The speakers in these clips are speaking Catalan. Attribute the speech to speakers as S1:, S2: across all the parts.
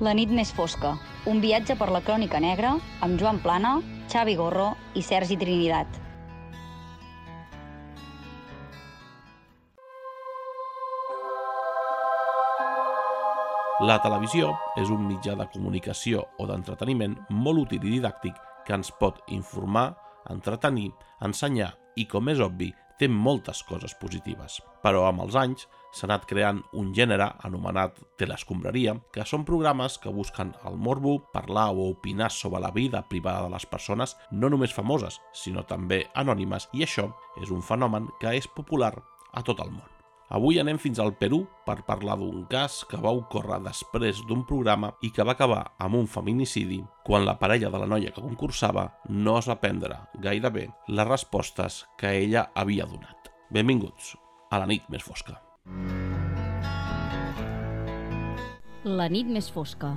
S1: La nit més fosca, un viatge per la crònica negra amb Joan Plana, Xavi Gorro i Sergi Trinidad.
S2: La televisió és un mitjà de comunicació o d'entreteniment molt útil i didàctic que ens pot informar, entretenir, ensenyar i, com és obvi, té moltes coses positives. Però amb els anys s'ha anat creant un gènere anomenat teleescombraria, que són programes que busquen el morbo, parlar o opinar sobre la vida privada de les persones, no només famoses, sinó també anònimes, i això és un fenomen que és popular a tot el món. Avui anem fins al Perú per parlar d'un cas que va ocórrer després d'un programa i que va acabar amb un feminicidi quan la parella de la noia que concursava no es va prendre gaire bé les respostes que ella havia donat. Benvinguts a la nit més fosca.
S1: La nit més fosca.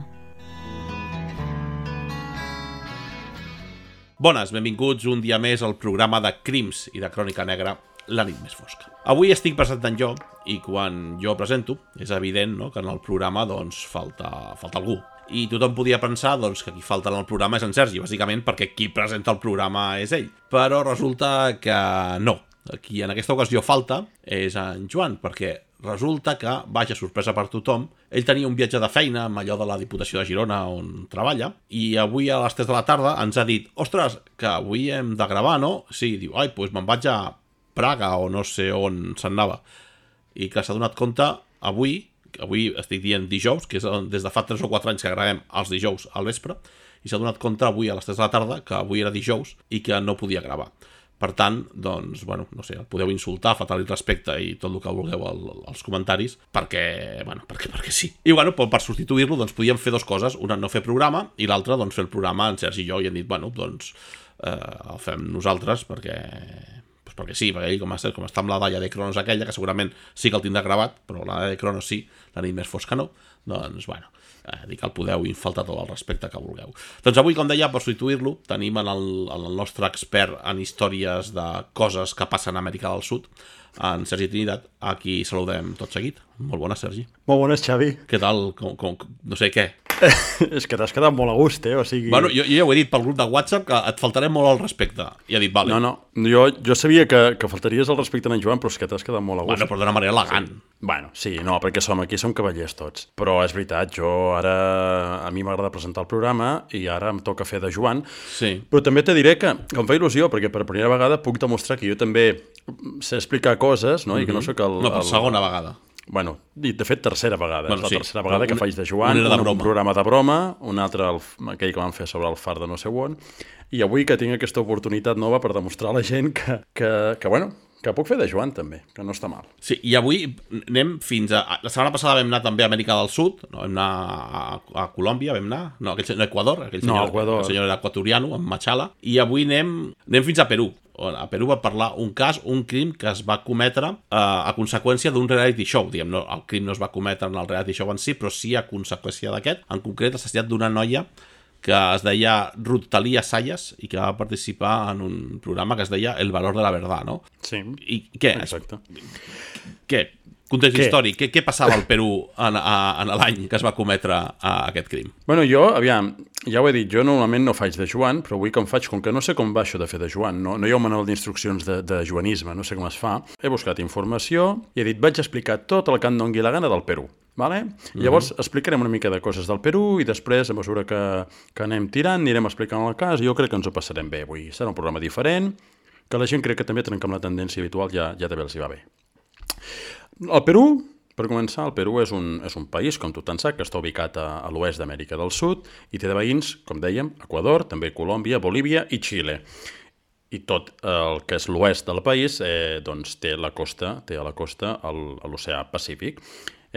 S2: Bones, benvinguts un dia més al programa de crims i de crònica negra, La nit més fosca. Avui estic presentant jo, i quan jo presento, és evident, no?, que en el programa doncs, falta algú. I tothom podia pensar doncs, que qui falta en el programa és en Sergi, bàsicament perquè qui presenta el programa és ell. Però resulta que no. Qui en aquesta ocasió falta és en Joan, perquè resulta que, vaja, sorpresa per tothom, ell tenia un viatge de feina amb allò de la Diputació de Girona on treballa, i avui a les 3 de la tarda ens ha dit: ostres, que avui hem de gravar, no? Sí, diu, ai, doncs me'n vaig a Praga o no sé on se'n anava. I que s'ha donat compte avui estic dient dijous, que és des de fa 3 o 4 anys que gravem els dijous al vespre, i s'ha donat compte avui a les 3 de la tarda que avui era dijous i que no podia gravar. Per tant, doncs, bueno, no sé, el podeu insultar, faltar-li respecte i tot el que vulgueu als comentaris, perquè sí. I bueno, per substituir-lo, doncs podíem fer 2 coses, una no fer programa i l'altra, doncs, fer el programa en Sergi i jo, i hem dit, bueno, doncs, el fem nosaltres perquè sí, perquè ell com està amb la Dalla de Cronos aquella, que segurament sí que el tindrà gravat, però la Dalla de Cronos sí, la nit més fosca no, doncs, bueno, dic que el podeu infaltar tot el respecte que vulgueu. Doncs avui, com deia, per substituir-lo, tenim en el nostre expert en històries de coses que passen a Amèrica del Sud, en Sergi Trinidad, a qui saludem tot seguit. Molt bones, Sergi.
S3: Molt bones, Xavi.
S2: Què tal? No sé què.
S3: És que t'has quedat molt a gust, o sigui...
S2: Bueno, jo ja ho he dit pel grup de WhatsApp que et faltaré molt al respecte. I ha dit, vale.
S3: No, jo sabia que faltaries al respecte a en Joan, però és que t'has quedat molt a gust.
S2: Bueno, però d'una manera elegant.
S3: Bueno, sí, no, perquè aquí som cavallers tots. Però és veritat, a mi m'agrada presentar el programa i ara em toca fer de Joan.
S2: Sí.
S3: Però també te diré que em fa il·lusió, perquè per primera vegada puc demostrar que jo també sé explicar coses, no? I que no sóc el...
S2: No, per segona vegada.
S3: Bueno, de fet, tercera vegada.
S2: Bueno,
S3: és la tercera vegada que faig de Joan, un programa de broma, un altre, aquell que vam fer sobre el far de no sé on, i avui que tinc aquesta oportunitat nova per demostrar a la gent que puc fer de Joan també, que no està mal.
S2: Sí, i avui anem fins a... La setmana passada vam anar també a Amèrica del Sud, no? Vam anar a Colòmbia, Equador, el senyor era equatoriano, amb Machala, i avui anem fins a Perú. A Perú va parlar un crim que es va cometre a conseqüència d'un reality show. Diguem, no, el crim no es va cometre en el reality show en si, però sí a conseqüència d'aquest. En concret, l'assassinat d'una noia que es deia Ruth Talia Sayas i que va participar en un programa que es deia El valor de la verdad, no?
S3: Sí,
S2: i què?
S3: Exacte.
S2: Què? Context històric, què passava al Perú en l'any que es va cometre aquest crim?
S3: Bueno, jo, aviam, ja ho he dit, jo normalment no faig de Joan, però avui com faig, com que no sé com va això de fer de Joan, no hi ha un manual d'instruccions de joanisme, no sé com es fa, he buscat informació i he dit, vaig explicar tot el que em doni la gana del Perú. Vale? Llavors explicarem una mica de coses del Perú i després, a mesura que anem tirant, anirem explicant el cas i jo crec que ens ho passarem bé avui. Serà un programa diferent, que la gent crec que també trenca amb la tendència habitual, ja també els hi va bé. El Perú, per començar, el Perú és un país, com tothom sap, que està ubicat a l'oest d'Amèrica del Sud i té de veïns, com dèiem, Equador, també Colòmbia, Bolívia i Xile. I tot el que és l'oest del país doncs té a la costa a l'oceà Pacífic.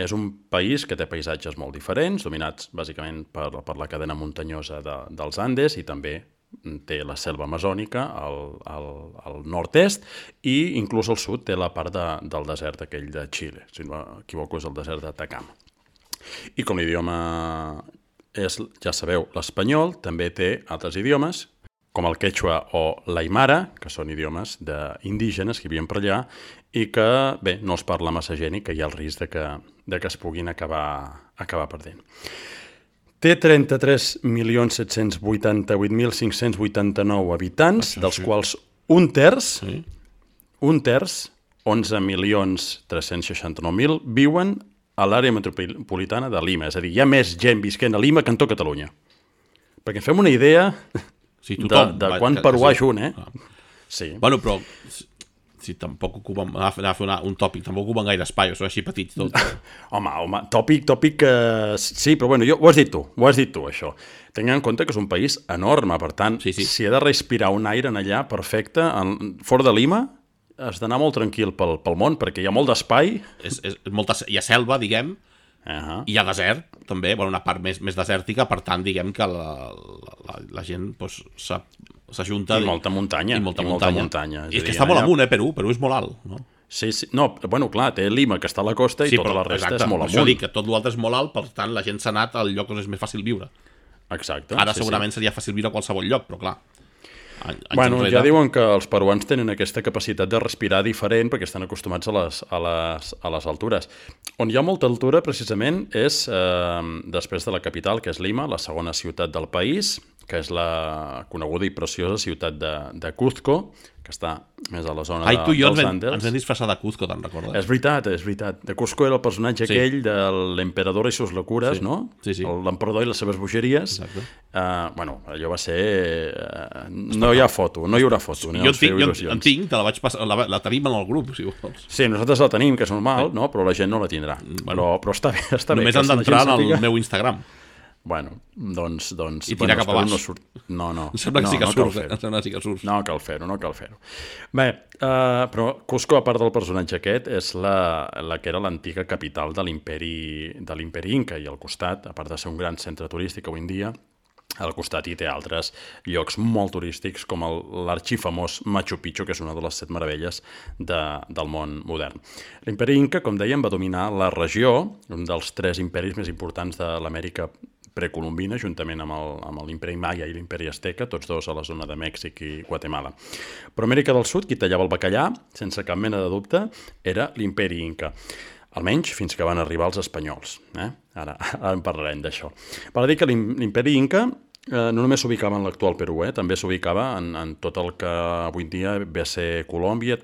S3: És un país que té paisatges molt diferents, dominats bàsicament per la cadena muntanyosa dels Andes i també té la selva amazònica al nord-est i inclús al sud té la part del desert aquell de Xile, si no m'equivoco és el desert d'Atacama. I com l'idioma és, ja sabeu, l'espanyol, també té altres idiomes, com el quechua o l'aimara, que són idiomes indígenes que vivien per allà i que, bé, no els parla massa gent i que hi ha el risc de que es puguin acabar perdent. Té 33.788.589 habitants, dels quals un terç, 11.369.000, viuen a l'àrea metropolitana de Lima. És a dir, hi ha més gent visquent a Lima que en tot Catalunya. Perquè fem una idea de quant peruà és un, Sí.
S2: Bueno, però si tampoc ocupen, anar a fer un tòpic, tampoc ocupen gaire espai, són així petits tot.
S3: Home, tòpic, sí, però bueno, ho has dit tu, això. Tenint en compte que és un país enorme, per tant, si ha de respirar un aire en allà, perfecte, fora de Lima, has d'anar molt tranquil pel món, perquè hi ha molt d'espai.
S2: Hi ha selva, diguem, hi ha desert, també, una part més desèrtica, per tant, diguem que la gent s'ajunta...
S3: I molta muntanya.
S2: I és que està molt amunt, Perú és molt alt, no?
S3: Sí, no, bueno, clar, té Lima, que està a la costa, i tota la resta és molt amunt.
S2: Això dic, que tot l'altre és molt alt, per tant, la gent s'ha anat al lloc on és més fàcil viure.
S3: Exacte.
S2: Ara segurament seria fàcil viure a qualsevol lloc, però clar...
S3: Bueno, ja diuen que els peruans tenen aquesta capacitat de respirar diferent perquè estan acostumats a les altures. On hi ha molta altura, precisament, és després de la capital, que és Lima, la segona ciutat del país, que és la coneguda i preciosa ciutat de Cuzco, que està més a la zona dels Andes.
S2: Tu i jo ens vam disfressar de Cuzco, te'n recordes?
S3: És veritat. De Cuzco era el personatge aquell de l'emperador i sus locures, no?
S2: Sí.
S3: L'emperador i les seves bogeries. Allò va ser... No hi ha foto, no hi haurà foto.
S2: Jo en tinc, te la vaig passar, la tenim en el grup, si vols.
S3: Sí, nosaltres la tenim, que és normal, però la gent no la tindrà. Però està bé.
S2: Només han d'entrar en el meu Instagram.
S3: Bueno, doncs...
S2: I tirar cap a baix.
S3: No.
S2: Em sembla que sí que surt.
S3: No cal fer-ho. Bé, però Cusco, a part del personatge aquest, és la que era l'antiga capital de l'imperi Inca, i al costat, a part de ser un gran centre turístic avui en dia, al costat hi té altres llocs molt turístics, com l'arxifamós Machu Picchu, que és una de les 7 meravelles del món modern. L'imperi Inca, com dèiem, va dominar la regió, un dels 3 imperis més importants de l'Amèrica precolombina, juntament amb l'imperi Maia i l'imperi Azteca, tots dos a la zona de Mèxic i Guatemala. Però Amèrica del Sud, qui tallava el bacallà, sense cap mena de dubte, era l'imperi Inca. Almenys fins que van arribar els espanyols. Ara en parlarem d'això. Val a dir que l'imperi Inca no només s'ubicava en l'actual Perú, també s'ubicava en tot el que avui en dia ve a ser Colòmbia,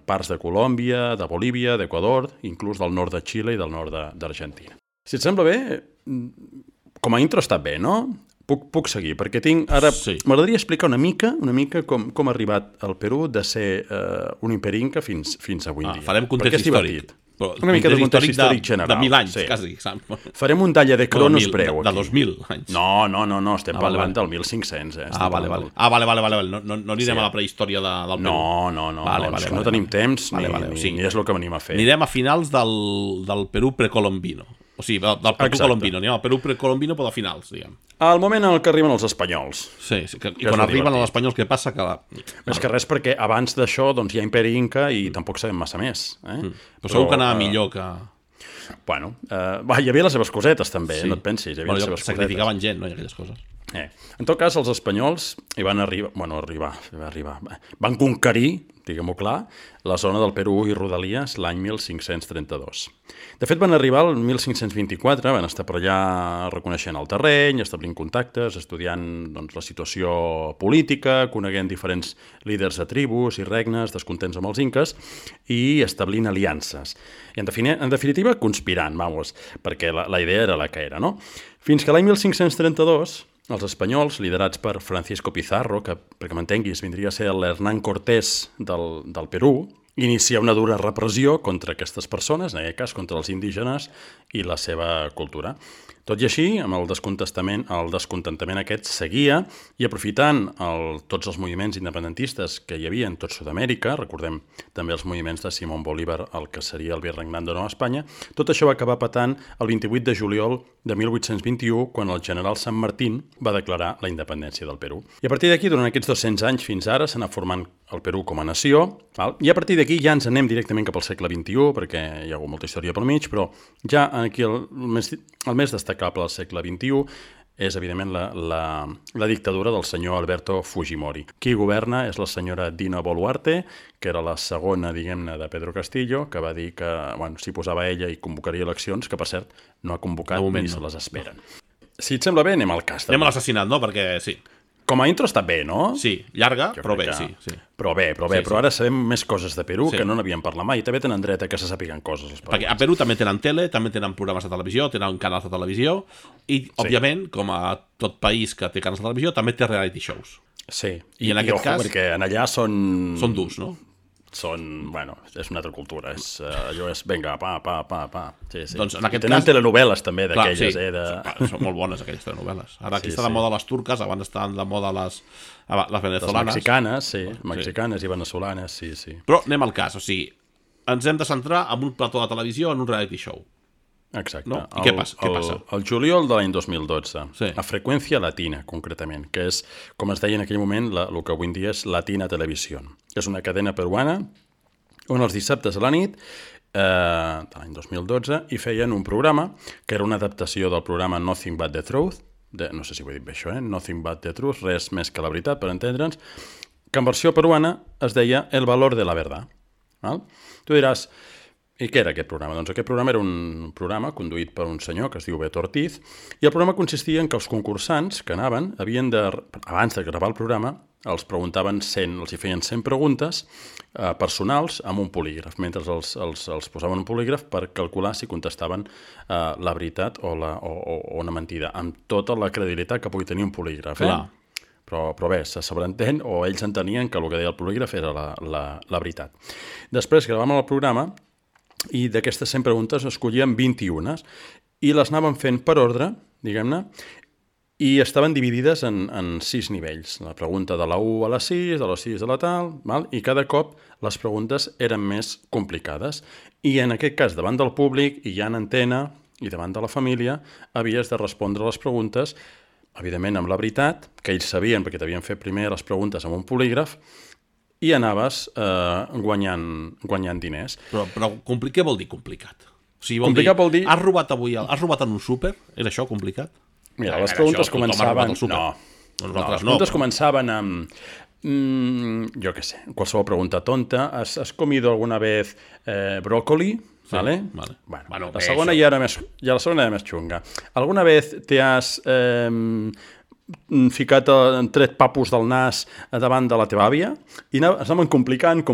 S3: parts de Colòmbia, de Bolívia, d'Equador, inclús del nord de Xile i del nord d'Argentina. Si et sembla bé, com a intro està bé, no? Puc seguir, perquè m'agradaria explicar una mica com ha arribat al Perú de ser un imperi Inca fins avui en dia.
S2: Farem context històric.
S3: Una mica de context històric general.
S2: De 1.000 anys, quasi.
S3: Farem un talla de cronos breu.
S2: De 2.000 anys.
S3: No, estem parlant del 1.500.
S2: Vale. No anirem a la prehistòria del Perú.
S3: No, no tenim temps, ni és el que venim a fer.
S2: Anirem a finals del Perú precolombino. O sigui, del Perú colombino. Anem al Perú precolombino, però de finals, diguem.
S3: Al moment en què arriben els espanyols.
S2: Sí, i quan arriben els espanyols, què passa?
S3: Més que res perquè abans d'això hi ha imperi Inca i tampoc sabem massa més.
S2: Però segur que anava millor que...
S3: Bueno, hi havia les seves cosetes també, no et pensis.
S2: Sacrificaven gent, no? I aquelles coses.
S3: En tot cas, els espanyols hi van van conquerir, diguem-ho clar, la zona del Perú i Rodalies l'any 1532. De fet, van arribar el 1524, van estar per allà reconeixent el terreny, establint contactes, estudiant la situació política, coneguent diferents líders de tribus i regnes descontents amb els inques i establint aliances. I, en definitiva, conspirant, perquè la idea era la que era, no? Fins que l'any 1532... els espanyols, liderats per Francisco Pizarro, que, perquè m'entenguis, vindria a ser l'Hernán Cortés del Perú, inicia una dura repressió contra aquestes persones, en aquest cas contra els indígenes i la seva cultura. Tot i així, amb el descontentament aquest seguia i aprofitant tots els moviments independentistes que hi havia en tot Sud-amèrica, recordem també els moviments de Simón Bolívar, el que seria el virregnat de Nova Espanya, tot això va acabar patant el 28 de juliol de 1821, quan el general San Martín va declarar la independència del Perú. I a partir d'aquí, durant aquests 200 anys fins ara, s'ha anat formant el Perú com a nació, i a partir d'aquí ja ens anem directament cap al segle XXI, perquè hi ha hagut molta història pel mig, però ja aquí el més destacable del segle XXI és, evidentment, la dictadura del senyor Alberto Fujimori. Qui governa és la senyora Dina Boluarte, que era la segona, diguem-ne, de Pedro Castillo, que va dir que, s'hi posava ella i convocaria eleccions, que, per cert, no ha convocat ni se les esperen. Si et sembla bé, anem al cas.
S2: Anem a l'assassinat, no? Perquè sí.
S3: Com a intro està bé, no?
S2: Sí, llarga,
S3: Jo
S2: però
S3: crec
S2: bé,
S3: que-
S2: sí.
S3: Però bé,
S2: Sí.
S3: però ara sabem més coses de Perú
S2: Sí.
S3: que no n'havíem parlat mai. També tenen dret a que se sàpiguen coses. Els
S2: Perquè a Perú també tenen tele, també tenen programes de televisió, tenen canals de televisió i, òbviament, com a tot país que té canals de televisió, també té reality shows.
S3: Sí,
S2: I en aquest
S3: ojo,
S2: cas-
S3: perquè en allà són...
S2: Són durs, no?
S3: Bueno, és una altra cultura. Allò és, vinga, pa. Sí.
S2: Doncs en aquest
S3: Tenen
S2: cas-
S3: telenovel·les també
S2: Clar,
S3: d'aquelles,
S2: sí, són molt bones aquelles telenovel·les. Ara aquí
S3: Sí,
S2: està de
S3: sí.
S2: moda les turques, abans estaven de moda les
S3: Les
S2: venezolanes.
S3: mexicanes, sí. Mexicanes i venezolanes, sí.
S2: Però anem al cas, o sigui, ens hem de centrar en un plató de televisió, en un reality show.
S3: Exacte.
S2: No? I què passa?
S3: El juliol de l'any 2012,
S2: Sí.
S3: a Freqüència Latina, concretament, que és, com es deia en aquell moment, el que avui en dia és Latina Televisió. És una cadena peruana on els dissabtes a la nit de l'any 2012 hi feien un programa que era una adaptació del programa Nothing But The Truth, no sé si ho he dit bé això, Nothing But The Truth, res més que la veritat, per entendre'ns, que en versió peruana es deia El Valor de la Verdad. Val? Tu diràs, i què era aquest programa? Doncs aquest programa era un programa conduït per un senyor que es diu Beto Ortiz, i el programa consistia en que els concursants que anaven havien de, abans de gravar el programa, els preguntaven 100, els hi feien 100 preguntes personals amb un polígraf, mentre els posaven un polígraf per calcular si contestaven la veritat o una mentida, amb tota la credibilitat que pugui tenir un polígraf.
S2: Clar.
S3: Però bé, se sobreentén, o ells entenien que el que deia el polígraf era la veritat. Després gravàvem el programa i d'aquestes 100 preguntes escollíem 21 i les anàvem fent per ordre, diguem-ne, i estaven dividides en 6 nivells. La pregunta de la 1 a la 6, de la 6 a la tal, val? I cada cop les preguntes eren més complicades. I en aquest cas, davant del públic, i ja en antena, i davant de la família, havies de respondre les preguntes, evidentment amb la veritat, que ells sabien, perquè t'havien fet primer les preguntes amb un polígraf, i anaves guanyant diners.
S2: Però què vol dir complicat? O sigui,
S3: Complicat vol dir-
S2: Has robat avui, has robat en un súper? Era això complicat?
S3: Mira, les
S2: Era
S3: preguntes
S2: això, tothom ha robat
S3: començaven...
S2: al súper.
S3: No,
S2: Nosaltres
S3: les preguntes
S2: però-
S3: començaven amb... jo què sé, qualsevol pregunta tonta. ¿Has comido alguna vez brócoli?
S2: Sí,
S3: ¿Vale?
S2: vale.
S3: Bueno, la
S2: bé,
S3: segona
S2: això.
S3: ja la segona era més xunga. ¿Alguna vez te has ficat en tret papus del nas davant de la teva àvia? I es anaven complicant.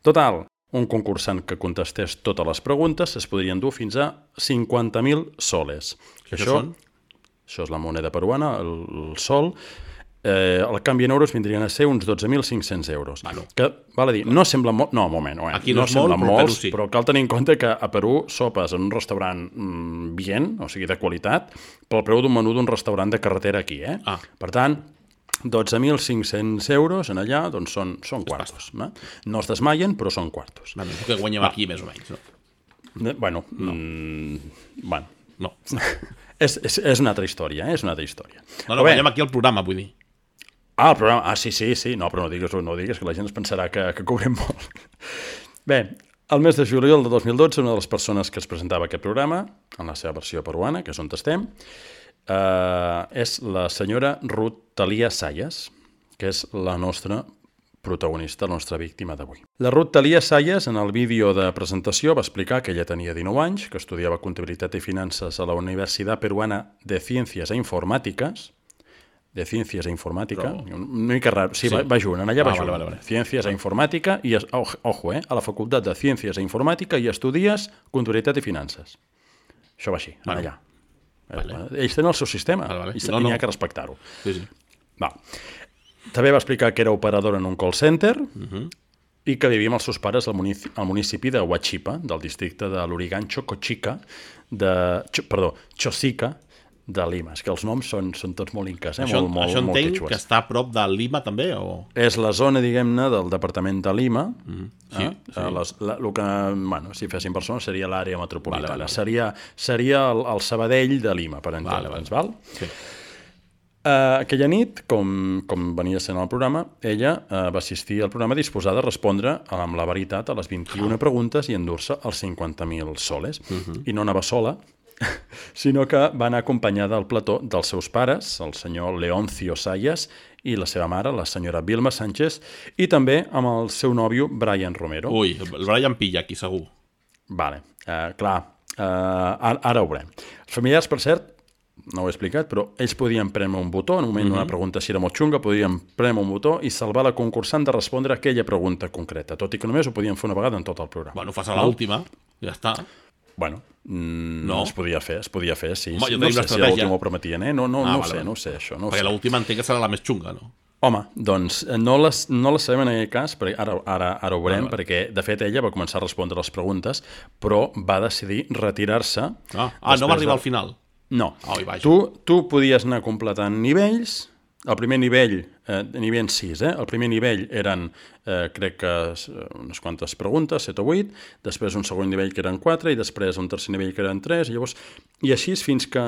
S3: Total, un concursant que contestés totes les preguntes es podrien dur fins a 50.000 soles.
S2: Això són?
S3: Això és la moneda peruana, el sol. El canvi en euros vindrien a ser uns 12.500 euros.
S2: Bueno.
S3: Que, val a dir, no sembla molt... No, un moment.
S2: Aquí no és molt,
S3: sembla
S2: però a Perú
S3: molts,
S2: sí.
S3: però cal tenir en compte que a Perú sopes en un restaurant bien, o sigui, de qualitat, pel preu d'un menú d'un restaurant de carretera aquí, eh?
S2: Ah.
S3: Per tant, 12.500 euros en allà, doncs són quartos. No es desmaien, però són quartos.
S2: Bueno, és el que guanyem aquí, més o menys. No?
S3: Bueno, bueno.
S2: No.
S3: És una altra història, és una altra història.
S2: No, guanyem aquí el programa, vull dir.
S3: Ah, el programa. Sí. No, però no digues, que la gent es pensarà que cobrem molt. Bé, el mes de juliol de 2012, una de les persones que es presentava aquest programa, en la seva versió peruana, que és on estem, és la senyora Ruth Thalia Sayas, que és la nostra protagonista, la nostra víctima d'avui. La Ruth Thalia Sayas, en el vídeo de presentació, va explicar que ella tenia 19 anys, que estudiava Comptabilitat i Finances a la Universitat Peruana de Ciencias e Informàtiques, de Ciencias e Informàtica, una mica raro, sí. Va junt, allà va junt.
S2: Vale.
S3: Ciencias e Informàtica, i, ojo, a la Facultat de Ciències e Informàtica i estudies Comptabilitat i Finances. Això va així, allà.
S2: Vale.
S3: Ells tenen el seu sistema, i n'hi ha que respectar-ho.
S2: Sí.
S3: Va. També va explicar que era operadora en un call center i que vivia amb els seus pares al municipi de Huachipa, del districte de l'Urigancho Chosica de Lima. És que els noms són tots molt incas,
S2: Això
S3: molt
S2: entenc
S3: quechues.
S2: que està a prop de Lima, també? O...
S3: És la zona, diguem-ne, del departament de Lima.
S2: Sí.
S3: El que, si fessin persones, seria l'àrea metropolitana.
S2: Vale.
S3: Seria el Sabadell de Lima, per entendre'ns, val?
S2: Sí.
S3: Aquella nit, com venia sent el programa, ella va assistir al programa disposada a respondre amb la veritat a les 21 preguntes i endur-se els 50.000 soles. I no anava sola, sinó que va anar acompanyada al plató dels seus pares, el senyor Leoncio Sayas, i la seva mare, la senyora Vilma Sánchez, i també amb el seu nòvio, Brian Romero.
S2: Ui, el Brian pilla aquí, segur.
S3: Vale. Clar, Ara ho veurem. Els familiars, per cert, no ho he explicat, però ells podien premer un botó, en un moment d'una pregunta si era molt xunga, podien premer un botó i salvar la concursant de respondre a aquella pregunta concreta, tot i que només ho podien fer una vegada en tot el programa.
S2: Bueno, fas a l'última, ja està.
S3: Bueno,
S2: no.
S3: es podia fer, sí.
S2: Home, jo
S3: no
S2: tenim
S3: sé si l'última
S2: l'estratègia.
S3: ho prometien, eh? No sé, això. No
S2: Perquè
S3: sé.
S2: l'última entenc que serà la més xunga, no?
S3: Home, doncs no les sabem en aquest cas, perquè ara ho veurem, perquè de fet ella va començar a respondre les preguntes, però va decidir retirar-se.
S2: No va arribar al final.
S3: No.
S2: Ai, vaja.
S3: Tu podies anar completant nivells. El primer nivell, nivell 6, el primer nivell eren, crec que unes quantes preguntes, 7 o 8, després un segon nivell que eren 4 i després un tercer nivell que eren 3, i així fins que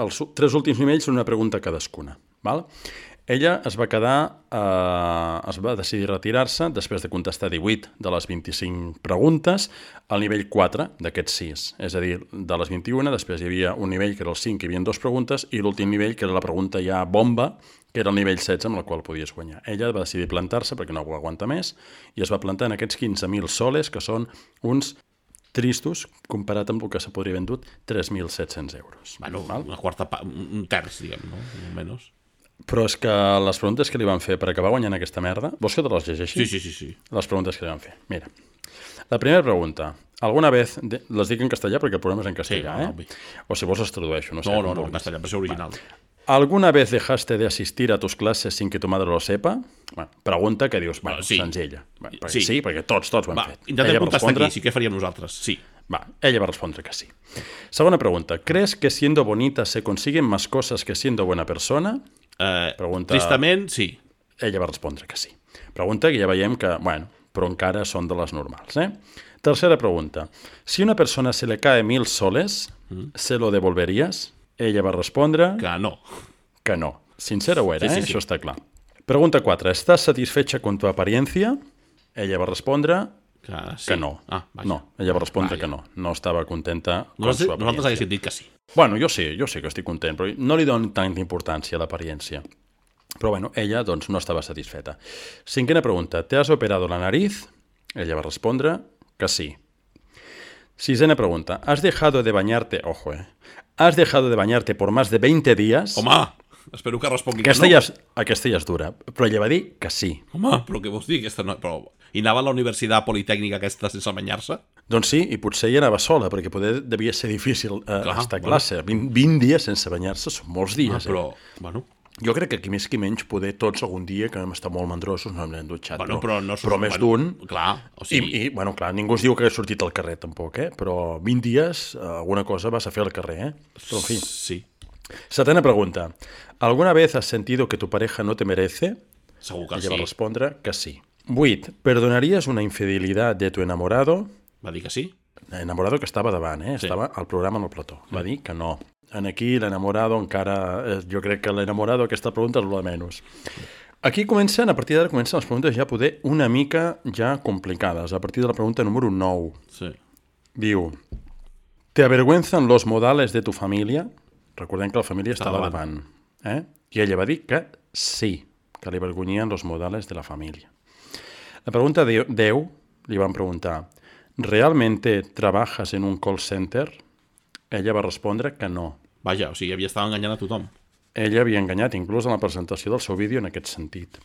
S3: els 3 últims nivells són una pregunta cadascuna. Val? Ella es va decidir retirar-se després de contestar 18 de les 25 preguntes al nivell 4 d'aquests 6. És a dir, de les 21, després hi havia un nivell que era el 5, que hi havia 2 preguntes, i l'últim nivell, que era la pregunta ja bomba, que era el nivell 16, amb la qual podies guanyar. Ella va decidir plantar-se perquè no ho aguanta més, i es va plantar en aquests 15.000 soles, que són uns tristos, comparat amb el que se podria vendut, 3.700 euros.
S2: Bueno, una quarta part, un terç, diguem, no? Menys.
S3: Però és que les preguntes que li van fer per acabar guanyant aquesta merda... Vols que te les llegeixi?
S2: Sí.
S3: Les preguntes que li van fer. Mira, la primera pregunta. ¿Alguna vez... Les dic en castellà perquè el programa és en castellà, O si vols les tradueixo, no sé.
S2: No, en castellà, per ser original.
S3: ¿Alguna vez dejaste de asistir a tus clases sin que tu madre lo sepa? Bueno, pregunta que dius, senzilla. Sí, perquè tots ho hem fet.
S2: Intentem contestar aquí, sí que faríem nosaltres, sí.
S3: Ella va respondre que sí. Segona pregunta. ¿Crees que siendo bonita se consiguen más cosas que siendo buena persona? Pregunta...
S2: Tristament, sí.
S3: Ella va respondre que sí. Pregunta que ja veiem que, però encara són de les normals, Tercera pregunta. Si una persona se le cae 1.000 soles, ¿se lo devolverías? Ella va respondre... Que no. Sincera ho era,
S2: sí.
S3: Això està clar. Pregunta 4. ¿Estás satisfecha con tu apariencia? Ella va respondre... Que no. No, ella va respondre que no. No estava contenta con su apariencia.
S2: Nosaltres haguéssim dit que sí.
S3: Bueno, jo sí que estic content, però no li dono tanta importància a l'aparença. Però ella no estava satisfeta. Cinquena pregunta. ¿Te has operado la nariz? Ella va respondre que sí. Sisena pregunta. ¿Has dejado de bañarte? Ojo, ¿Has dejado de bañarte por más de 20 días?
S2: Home, espero que respongui
S3: que no. Aquesta ja és dura, però ella va dir que sí.
S2: Home, però què vols dir? I anava a la universitat politècnica aquesta sense banyar-se?
S3: Doncs sí, i potser ella anava sola, perquè poder devia ser difícil estar a classe. 20 dies sense banyar-se són molts dies.
S2: Però,
S3: jo crec que aquí més que menys poder tots algun dia, que hem estat molt mandrosos, no hem dutxat, però més d'un.
S2: Clar, o sigui...
S3: I, clar, ningú es diu que hagués sortit al carrer tampoc, però 20 dies alguna cosa vas a fer al carrer, Però, en fi.
S2: Sí.
S3: Setena pregunta. ¿Alguna vez has sentido que tu pareja no te merece?
S2: Segur que
S3: Ella va respondre que sí. 8. ¿Perdonarías una infidelidad de tu enamorado?
S2: Va dir que sí.
S3: Enamorado que estava davant, estava al programa en el plató. Va dir que no. Aquí l'enamorado encara... Jo crec que l'enamorado, aquesta pregunta és la menys. Aquí a partir d'ara comencen les preguntes ja poder una mica ja complicades. A partir de la pregunta número 9.
S2: Sí.
S3: Diu, ¿te avergüenzan los modales de tu familia? Recordem que la família estava davant. I ella va dir que sí, que li avergonyien los modales de la família. La pregunta 10, li van preguntar, ¿realmente trabajas en un call center? Ella va respondre que no.
S2: Vaja, o sigui, havia estat enganyant a tothom.
S3: Ella havia enganyat, inclús en la presentació del seu vídeo en aquest sentit.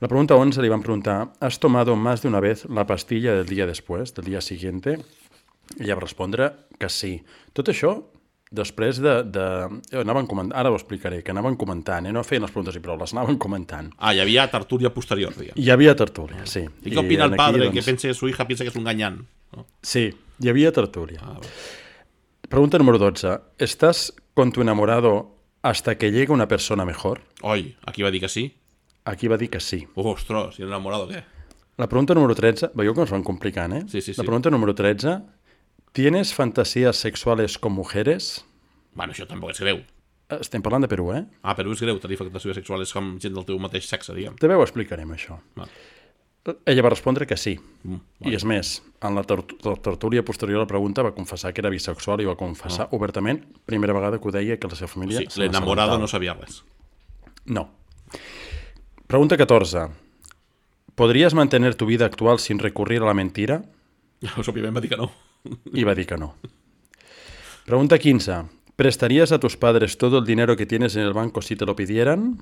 S3: La pregunta 11 li van preguntar, ¿has tomado más de una vez la pastilla del día después, del día siguiente? Ella va respondre que sí. Tot això després anaven comentant, ara ho explicaré, que anaven comentant, no feien les preguntes i prou, les anaven comentant.
S2: Hi havia tertúlia posterior, diguem.
S3: Hi havia tertúlia, sí.
S2: ¿Y qué opina el padre que su hija piensa que es un gañán? ¿No?
S3: Sí, hi havia tertúlia. Pregunta número 12. ¿Estás con tu enamorado hasta que llegue una persona mejor?
S2: Oi, aquí va dir que sí?
S3: Aquí va dir que sí.
S2: Ostres, ¿y el enamorado què?
S3: La pregunta número 13, veieu que ens van complicant,
S2: Sí.
S3: La pregunta número 13, ¿tienes fantasías sexuales con mujeres?
S2: Bueno, això tampoc és greu.
S3: Estem parlant de Perú,
S2: Perú és greu, tenir fantasia sexuals amb gent del teu mateix sexe, diguem.
S3: També ho explicarem, això. Ella va respondre que sí. I és més, en la tertúlia posterior a la pregunta va confessar que era bisexual i va confessar obertament, primera vegada que ho deia, que la seva família...
S2: Sí, l'enamorado no sabia res.
S3: No. Pregunta 14. ¿Podrías mantener tu vida actual sin recurrir a la mentira?
S2: Òbviament va dir que no.
S3: I va dir que no. Pregunta 15. ¿Prestarías a tus padres todo el dinero que tienes en el banco si te lo pidieran?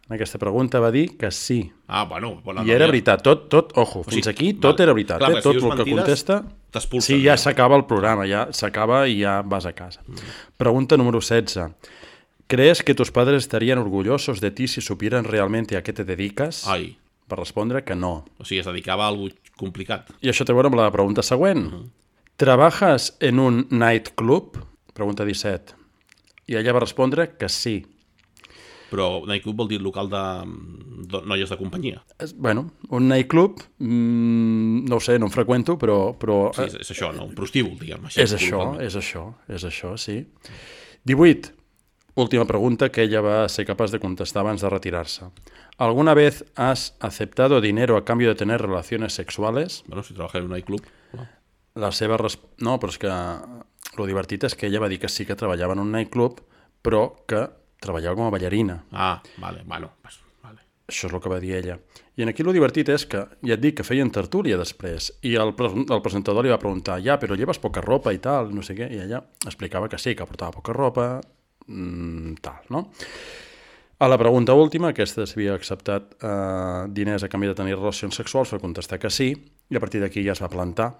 S3: En aquesta pregunta va dir que sí.
S2: Ah, bueno.
S3: I era veritat. Tot, ojo, fins aquí tot era veritat.
S2: Clar,
S3: Tot
S2: si dius
S3: el que
S2: mentides,
S3: contesta...
S2: t'expulsen.
S3: Sí, ja s'acaba el programa, ja s'acaba i ja vas a casa. Pregunta número 16. ¿Crees que tus padres estarían orgullosos de ti si supieran realmente a qué te dedicas?
S2: Ai.
S3: Va respondre que no.
S2: O sigui, es dedicava a alguna complicat.
S3: I això té a veure amb la pregunta següent. ¿Trabajas en un nightclub? Pregunta 17. I ella va respondre que sí.
S2: Però nightclub vol dir local de noies de companyia.
S3: Bueno, un nightclub, no ho sé, no en freqüento, però
S2: Sí, és això, no? Un prostíbul, diguem.
S3: és això, sí. 18. Última pregunta que ella va ser capaç de contestar abans de retirar-se. ¿Alguna vez has aceptado dinero a cambio de tener relaciones sexuales?
S2: Bueno, si treballes en un nightclub... No.
S3: La seva No, però és que lo divertit és que ella va dir que sí que treballava en un nightclub, però que treballava com a ballarina.
S2: Ah, vale, bueno, pues, vale.
S3: Això és el que va dir ella. I aquí lo divertit és que, ja et dic, que feien tertúlia després, i el presentador li va preguntar, ja, però lleves poca ropa i tal, no sé què, i ella explicava que sí, que portava poca ropa, tal, no? A la pregunta última, aquesta s'havia acceptat diners a canvi de tenir relacions sexuals, va contestar que sí, i a partir d'aquí ja es va plantar,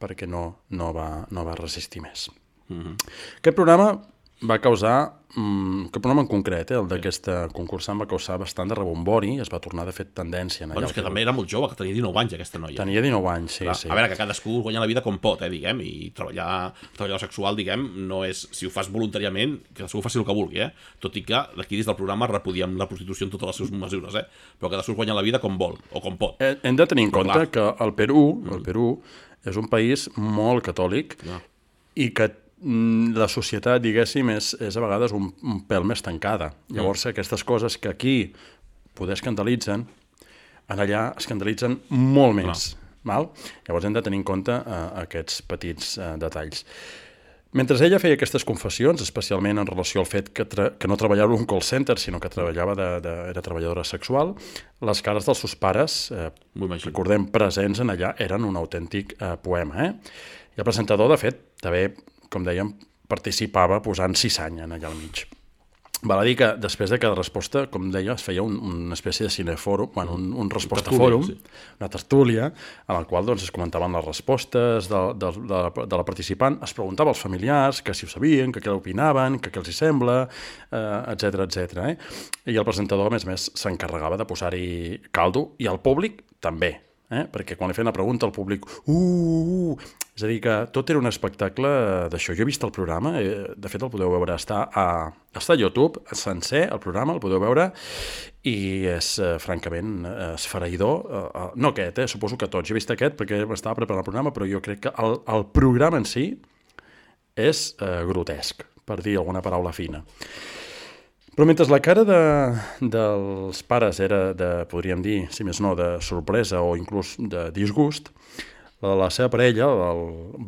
S3: perquè no va resistir més. Aquest programa va causar, aquest programa en concret, el d'aquesta concursant va causar bastant de rebombori, es va tornar de fet tendència.
S2: Bueno, és que també era molt jove, que tenia 19 anys aquesta noia.
S3: Tenia 19 anys, sí,
S2: Clar,
S3: sí.
S2: A veure, que cadascú guanya la vida com pot, diguem, i treballar sexual, diguem, no és, si ho fas voluntàriament, que cadascú faci el que vulgui, tot i que d'aquí dins del programa repudiem la prostitució en totes les seves mesures, però cadascú guanya la vida com vol, o com pot.
S3: Hem de tenir en compte que el Perú és un país molt catòlic i que la societat, diguéssim, és a vegades un pèl més tancada. Llavors, aquestes coses que aquí poder escandalitzen, allà escandalitzen molt més. Llavors hem de tenir en compte aquests petits detalls. Mentre ella feia aquestes confessions, especialment en relació al fet que no treballava en un call center, sinó que era treballadora sexual, les cares dels seus pares, recordem, presents en allà, eren un autèntic poema. I el presentador, de fet, també, com dèiem, participava posant cissanya allà al mig. Val a dir que després de cada resposta, com deia, es feia una espècie de cinefòrum, un resposta-fòrum, una tertúlia, en la qual es comentaven les respostes de la participant, es preguntava als familiars que si ho sabien, que què opinaven, que què els hi sembla, etc. I el presentador, a més, s'encarregava de posar-hi caldo, i el públic també, perquè quan li feien la pregunta al públic és a dir, que tot era un espectacle d'això. Jo he vist el programa, de fet el podeu veure, està a YouTube sencer, el programa, el podeu veure, i és francament esfereïdor. No aquest, suposo que tots. Jo he vist aquest perquè m'estava preparant el programa, però jo crec que el programa en si és grotesc, per dir alguna paraula fina. Però mentre la cara dels pares era podríem dir, si més no, de sorpresa o inclús de disgust, la seva parella, el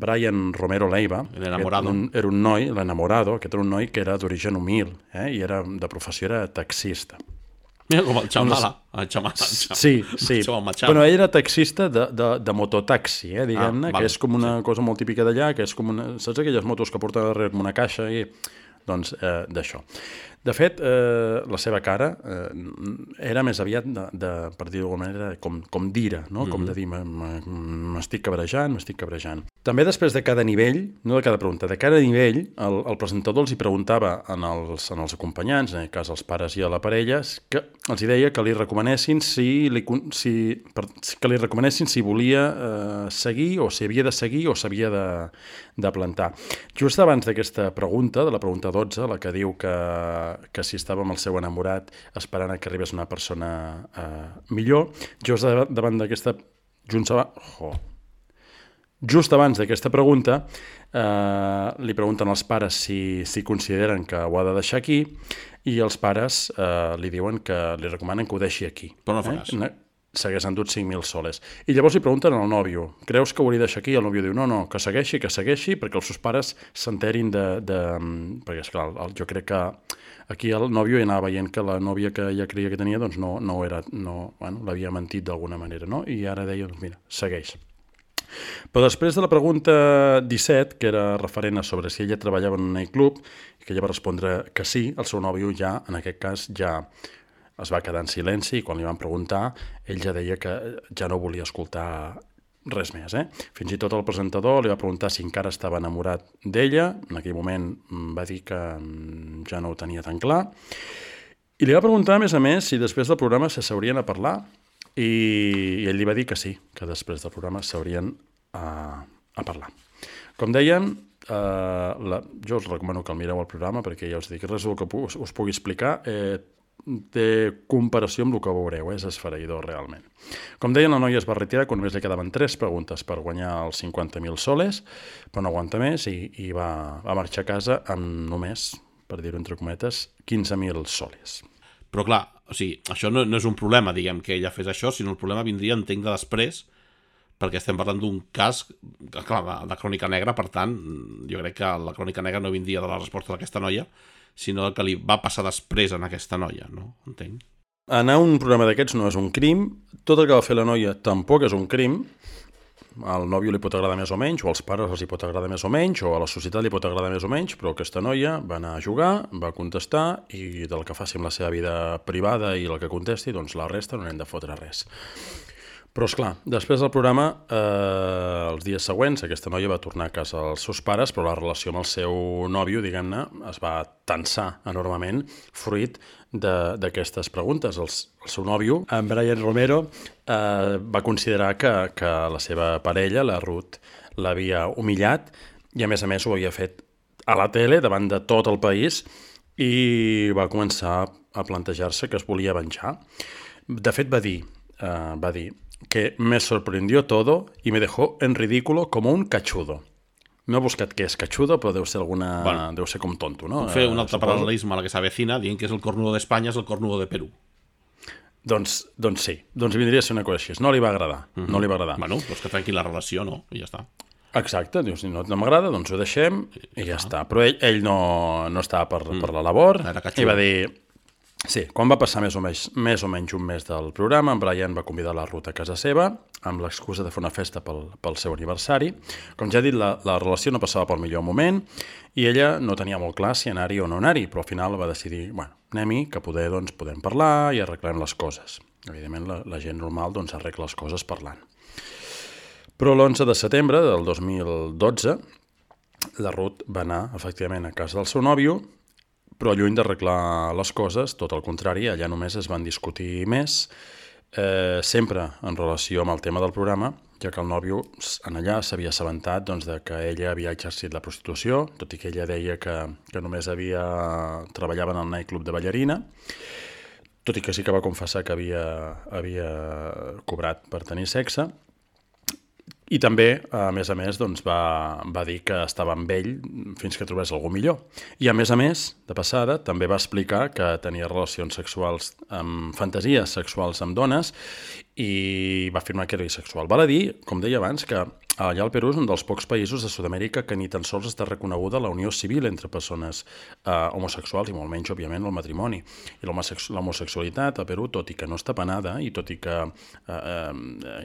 S3: Brian Romero Leiva, era un noi, l'enamorado, aquest era un noi que era d'origen humil, i de professió era taxista.
S2: Mira com el Chamala.
S3: Sí. Bueno, ell era taxista de mototaxi, diguem-ne, que és com una cosa molt típica d'allà, que és com una... Saps aquelles motos que porten darrere com una caixa? Doncs d'això. De fet, la seva cara era més aviat, per dir-ho d'alguna manera, com d'ira, no? Com de dir, m'estic cabrejant. També després de cada nivell, no de cada pregunta, de cada nivell, el presentador els hi preguntava als acompanyants, en aquest cas als pares i a la parella, que els hi deia que li recomanessin si volia seguir, o si havia de seguir, o s'havia de plantar. Just abans d'aquesta pregunta, de la pregunta 12, la que diu que si estava amb el seu enamorat esperant que arribés una persona millor, just davant d'aquesta... Just abans d'aquesta pregunta, li pregunten als pares si consideren que ho ha de deixar aquí, i els pares li diuen que li recomanen que ho deixi aquí.
S2: Però no faràs.
S3: S'hagués endut 5.000 soles. I llavors li pregunten al nòvio, creus que ho hauria de deixar aquí? I el nòvio diu, no, que segueixi, perquè els seus pares s'enterin perquè, esclar, jo crec que aquí el nòvio ja anava veient que la nòvia que ella creia que tenia doncs no l'havia mentit d'alguna manera, no? I ara deia, doncs mira, segueix. Però després de la pregunta 17, que era referent a sobre si ella treballava en un nightclub, i que ella va respondre que sí, el seu nòvio ja, en aquest cas, ja es va quedar en silenci i quan li van preguntar, ell ja deia que ja no volia escoltar res més. Fins i tot el presentador li va preguntar si encara estava enamorat d'ella. En aquell moment va dir que ja no ho tenia tan clar. I li va preguntar, a més, si després del programa s'haurien a parlar i ell li va dir que sí, que després del programa s'haurien a parlar. Com dèiem, jo us recomano que el mireu el programa perquè ja us dic, res del que us pugui explicar té comparació amb el que veureu, és esfereïdor realment. Com deien, la noia es va retirar quan només li quedaven 3 preguntes per guanyar els 50.000 soles, però no aguanta més i va marxar a casa amb només, per dir-ho entre cometes, 15.000 soles.
S2: Però clar, o sigui, això no és un problema, diguem, que ella fes això, sinó el problema vindria, entenc, de després, perquè estem parlant d'un cas, clar, de crònica negra, per tant, jo crec que la crònica negra no vindria de la resposta d'aquesta noia, sinó del que li va passar després en aquesta noia, no? Entenc.
S3: Anar a un programa d'aquests no és un crim, tot el que va fer la noia tampoc és un crim, al nòvio li pot agradar més o menys, o als pares els hi pot agradar més o menys, o a la societat li pot agradar més o menys, però aquesta noia va anar a jugar, va contestar, i del que faci amb la seva vida privada i el que contesti, doncs la resta no n'hem de fotre res. Però, esclar, després del programa, els dies següents, aquesta noia va tornar a casa dels seus pares, però la relació amb el seu nòvio, diguem-ne, es va tensar enormement, fruit d'aquestes preguntes. El seu nòvio, en Brian Romero, va considerar que la seva parella, la Ruth, l'havia humillat i, a més, ho havia fet a la tele, davant de tot el país, i va començar a plantejar-se que es volia venjar. De fet, va dir que me sorprendió todo y me dejó en ridículo como un cachudo. No he buscat què és cachudo, però deu ser deu ser com tonto, no?
S2: Puc fer un altre paral·lelisme a la que s'avecina, dient que és el cornudo d'Espanya, és el cornudo de Perú.
S3: Doncs sí, doncs vindria a ser una cosa així. No li va agradar, no li va agradar.
S2: Bueno, doncs que trenqui la relació, no? I ja està.
S3: Exacte, dius, si no m'agrada, doncs ho deixem i ja està. Però ell no estava per la labor i va dir... Sí, quan va passar més o menys un mes del programa, en Brian va convidar la Ruth a casa seva amb l'excusa de fer una festa pel seu aniversari. Com ja he dit, la relació no passava pel millor moment i ella no tenia molt clar si anar-hi o no anar-hi, però al final va decidir, bueno, anem-hi, que poder doncs, podem parlar i arreglem les coses. Evidentment, la gent normal doncs, arregla les coses parlant. Però l'11 de setembre del 2012, la Ruth va anar, efectivament, a casa del seu nòvio, però lluny d'arreglar les coses, tot el contrari, allà només es van discutir més, sempre en relació amb el tema del programa, ja que el nòvio en allà s'havia assabentat doncs, que ella havia exercit la prostitució, tot i que ella deia que només treballava en el nightclub de ballarina, tot i que sí que va confessar que havia cobrat per tenir sexe. I també, a més, doncs, va dir que estava amb ell fins que trobés algú millor. I, a més, de passada, també va explicar que tenia relacions sexuals amb fantasies sexuals amb dones i va afirmar que era bisexual. Val a dir, com deia abans, que allà al Perú és un dels pocs països de Sud-amèrica que ni tan sols està reconeguda la unió civil entre persones homosexuals i molt menys, òbviament, el matrimoni. I l'homosexualitat a Perú, tot i que no està penada i tot i que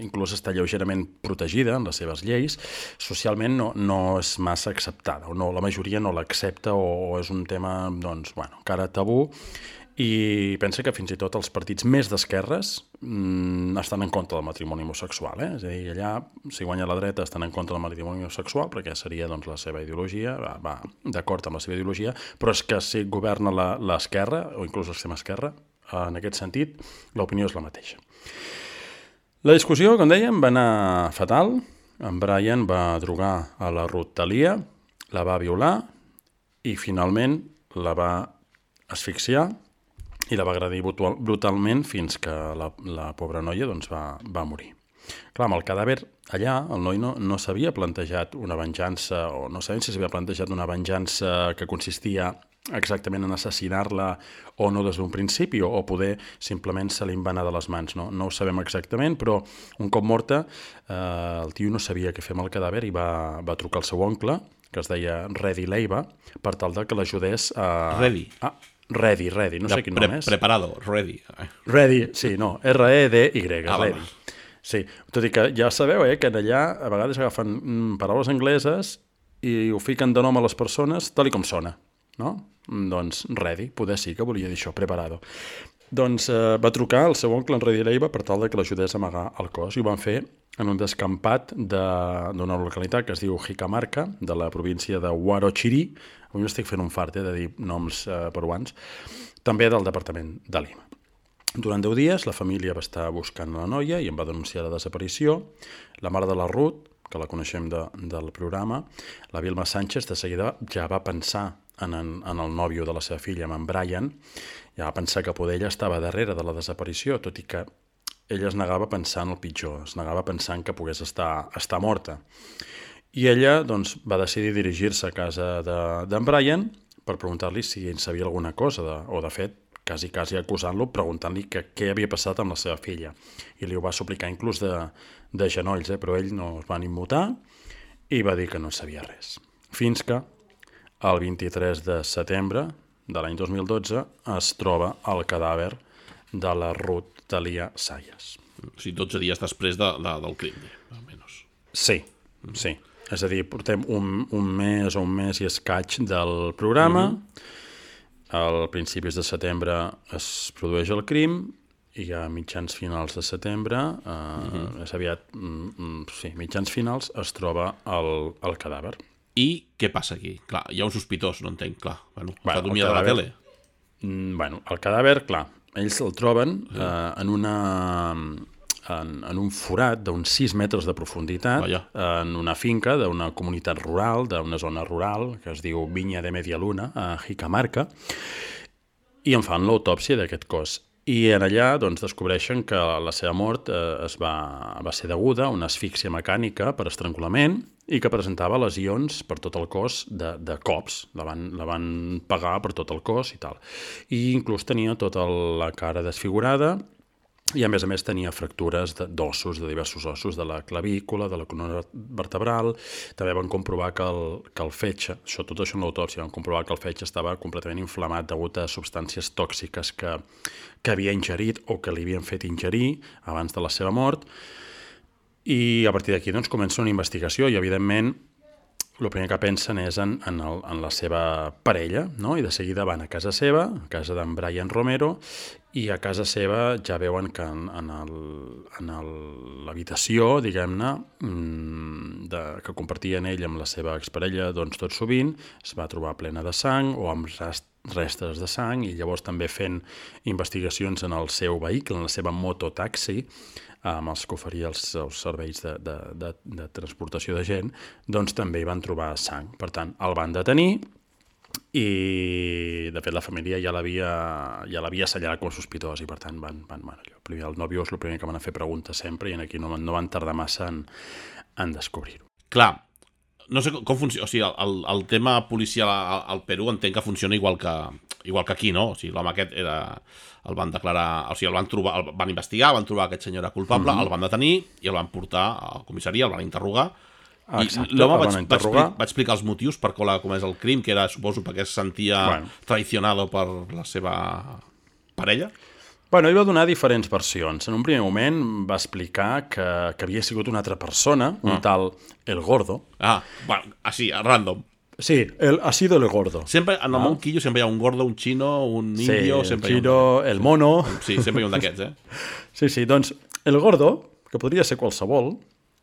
S3: inclús està lleugerament protegida en les seves lleis, socialment no és massa acceptada, o no, la majoria no l'accepta o és un tema, doncs, bueno, encara tabú. I pensa que fins i tot els partits més d'esquerres estan en contra del matrimoni homosexual. És a dir, allà, si guanya la dreta, estan en contra del matrimoni homosexual, perquè seria doncs, la seva ideologia, va d'acord amb la seva ideologia, però és que si governa l'esquerra, o inclús l'extrema esquerra, en aquest sentit, l'opinió és la mateixa. La discussió, com dèiem, va anar fatal. En Brian va drogar a la Ruth Thalia, la va violar i finalment la va asfixiar i la va agredir brutalment fins que la pobra noia doncs, va morir. Clar, amb el cadàver allà, el noi no s'havia plantejat una venjança, o no sabem si s'havia plantejat una venjança que consistia exactament en assassinar-la o no des d'un principi, o poder simplement se li va anar de les mans. No ho sabem exactament, però un cop morta, el tio no sabia què fer amb el cadàver i va trucar al seu oncle, que es deia Reddy Leiva, per tal que l'ajudés a... Reddy, no sé quin nom és.
S2: Preparado, Reddy.
S3: Reddy, sí, no, R-E-D-Y,
S2: Reddy.
S3: Sí, tot i que ja sabeu que allà a vegades agafen paraules angleses i ho fiquen de nom a les persones tal i com sona, no? Doncs ready, poder sí que volia dir això, preparado. Doncs va trucar al seu oncle en Ready Leiva per tal que l'ajudés a amagar el cos i ho van fer en un descampat d'una localitat que es diu Jicamarca, de la província de Huarochirí. Avui m'estic fent un fart de dir noms peruans, també del departament de Lima. Durant 10 dies la família va estar buscant la noia i em va denunciar la desaparició. La mare de la Ruth, que la coneixem del programa, la Vilma Sánchez, de seguida ja va pensar en el nòvio de la seva filla, en Brian, ja va pensar que poder ella estava darrere de la desaparició, tot i que ella es negava a pensar en el pitjor, es negava a pensar que pogués estar morta. I ella doncs, va decidir dirigir-se a casa d'en Brian per preguntar-li si ell sabia alguna cosa, o de fet, quasi acusant-lo, preguntant-li què havia passat amb la seva filla. I li ho va suplicar inclús de genolls, però ell no es va ni immutar i va dir que no sabia res. Fins que el 23 de setembre de l'any 2012 es troba el cadàver de la Ruth Talia Sayas.
S2: O sigui, 12 dies després del crim, almenys.
S3: Sí. És a dir, portem un mes i escaig del programa. Al principis de setembre es produeix el crim i a mitjans finals de setembre, és aviat, mitjans finals, es troba el cadàver.
S2: I què passa aquí? Clar, hi ha un sospitós, no entenc, clar. Està dormint a la tele.
S3: El cadàver, clar, ells el troben en un forat d'uns 6 metres de profunditat, en una finca d'una comunitat rural, d'una zona rural, que es diu Vinya de Media Luna, a Jicamarca, i en fan l'autòpsia d'aquest cos. I en allà doncs, descobreixen que la seva mort va ser deguda a una asfíxia mecànica per estrangulament i que presentava lesions per tot el cos de cops. La van pegar per tot el cos i tal. I inclús tenia tota la cara desfigurada i a més tenia fractures d'ossos, de diversos ossos, de la clavícula, de la columna vertebral. També van comprovar que el fetge, tot això en l'autòpsia, van comprovar que el fetge estava completament inflamat degut a substàncies tòxiques que havia ingerit o que li havien fet ingerir abans de la seva mort. I a partir d'aquí doncs, comença una investigació i, evidentment, el primer que pensen és en la seva parella, no? I de seguida van a casa seva, a casa d'en Brian Romero, i a casa seva ja veuen que en l'habitació, diguem-ne, que compartien ell amb la seva exparella doncs, tot sovint, es va trobar plena de sang o amb restes de sang, i llavors també fent investigacions en el seu vehicle, en la seva mototaxi, amb els que oferia els serveis de transportació de gent, doncs també hi van trobar sang. Per tant, el van detenir i, de fet, la família ja l'havia assenyalat com a sospitós i, per tant, primer el nòvios el primer que van a fer preguntes sempre i aquí no van tardar massa en descobrir-ho.
S2: Clar, no sé com funciona, o sigui, el tema policial al Perú entenc que funciona igual que aquí, no? O sigui, l'home aquest el van declarar, o sigui, el van investigar, van trobar aquest senyor culpable, el van detenir i el van portar a la comissaria, el van interrogar.
S3: Exacte,
S2: l'home va explicar els motius per què ha comès el crim, que era, suposo, perquè es sentia traicionado per la seva parella.
S3: Ell va donar diferents versions. En un primer moment va explicar que havia sigut una altra persona, un tal El Gordo.
S2: Així, random.
S3: Sí, ha sido El Gordo.
S2: Sempre, en el món quillo, sempre hi ha un gordo, un xino, un indio...
S3: Sí, el xino, el mono...
S2: Sí, sempre hi ha un d'aquests,
S3: Sí, doncs, El Gordo, que podria ser qualsevol,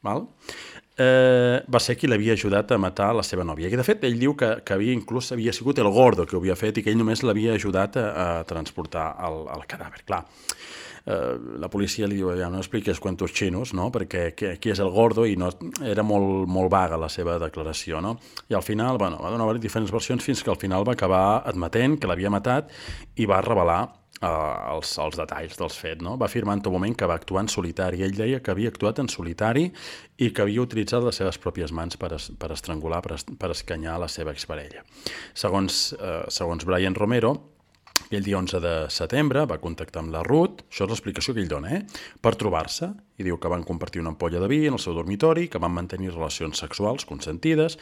S3: va ser qui l'havia ajudat a matar la seva nòvia. I, de fet, ell diu que inclús havia sigut El Gordo que ho havia fet i que ell només l'havia ajudat a transportar el cadàver. Clar, la policia li diu, ja no expliques quantos xinos, no? Perquè qui és El Gordo, i no, era molt vaga la seva declaració, no? I al final, va donar diferents versions fins que al final va acabar admetent que l'havia matat i va revelar els detalls dels fets, no? Va afirmar en tot moment que va actuar en solitari. Ell deia que havia actuat en solitari i que havia utilitzat les seves pròpies mans per estrangular, per escanyar la seva exparella. Segons Brian Romero, el dia 11 de setembre va contactar amb la Ruth, això és l'explicació que ell dona, per trobar-se, i diu que van compartir una ampolla de vi en el seu dormitori, que van mantenir relacions sexuals consentides,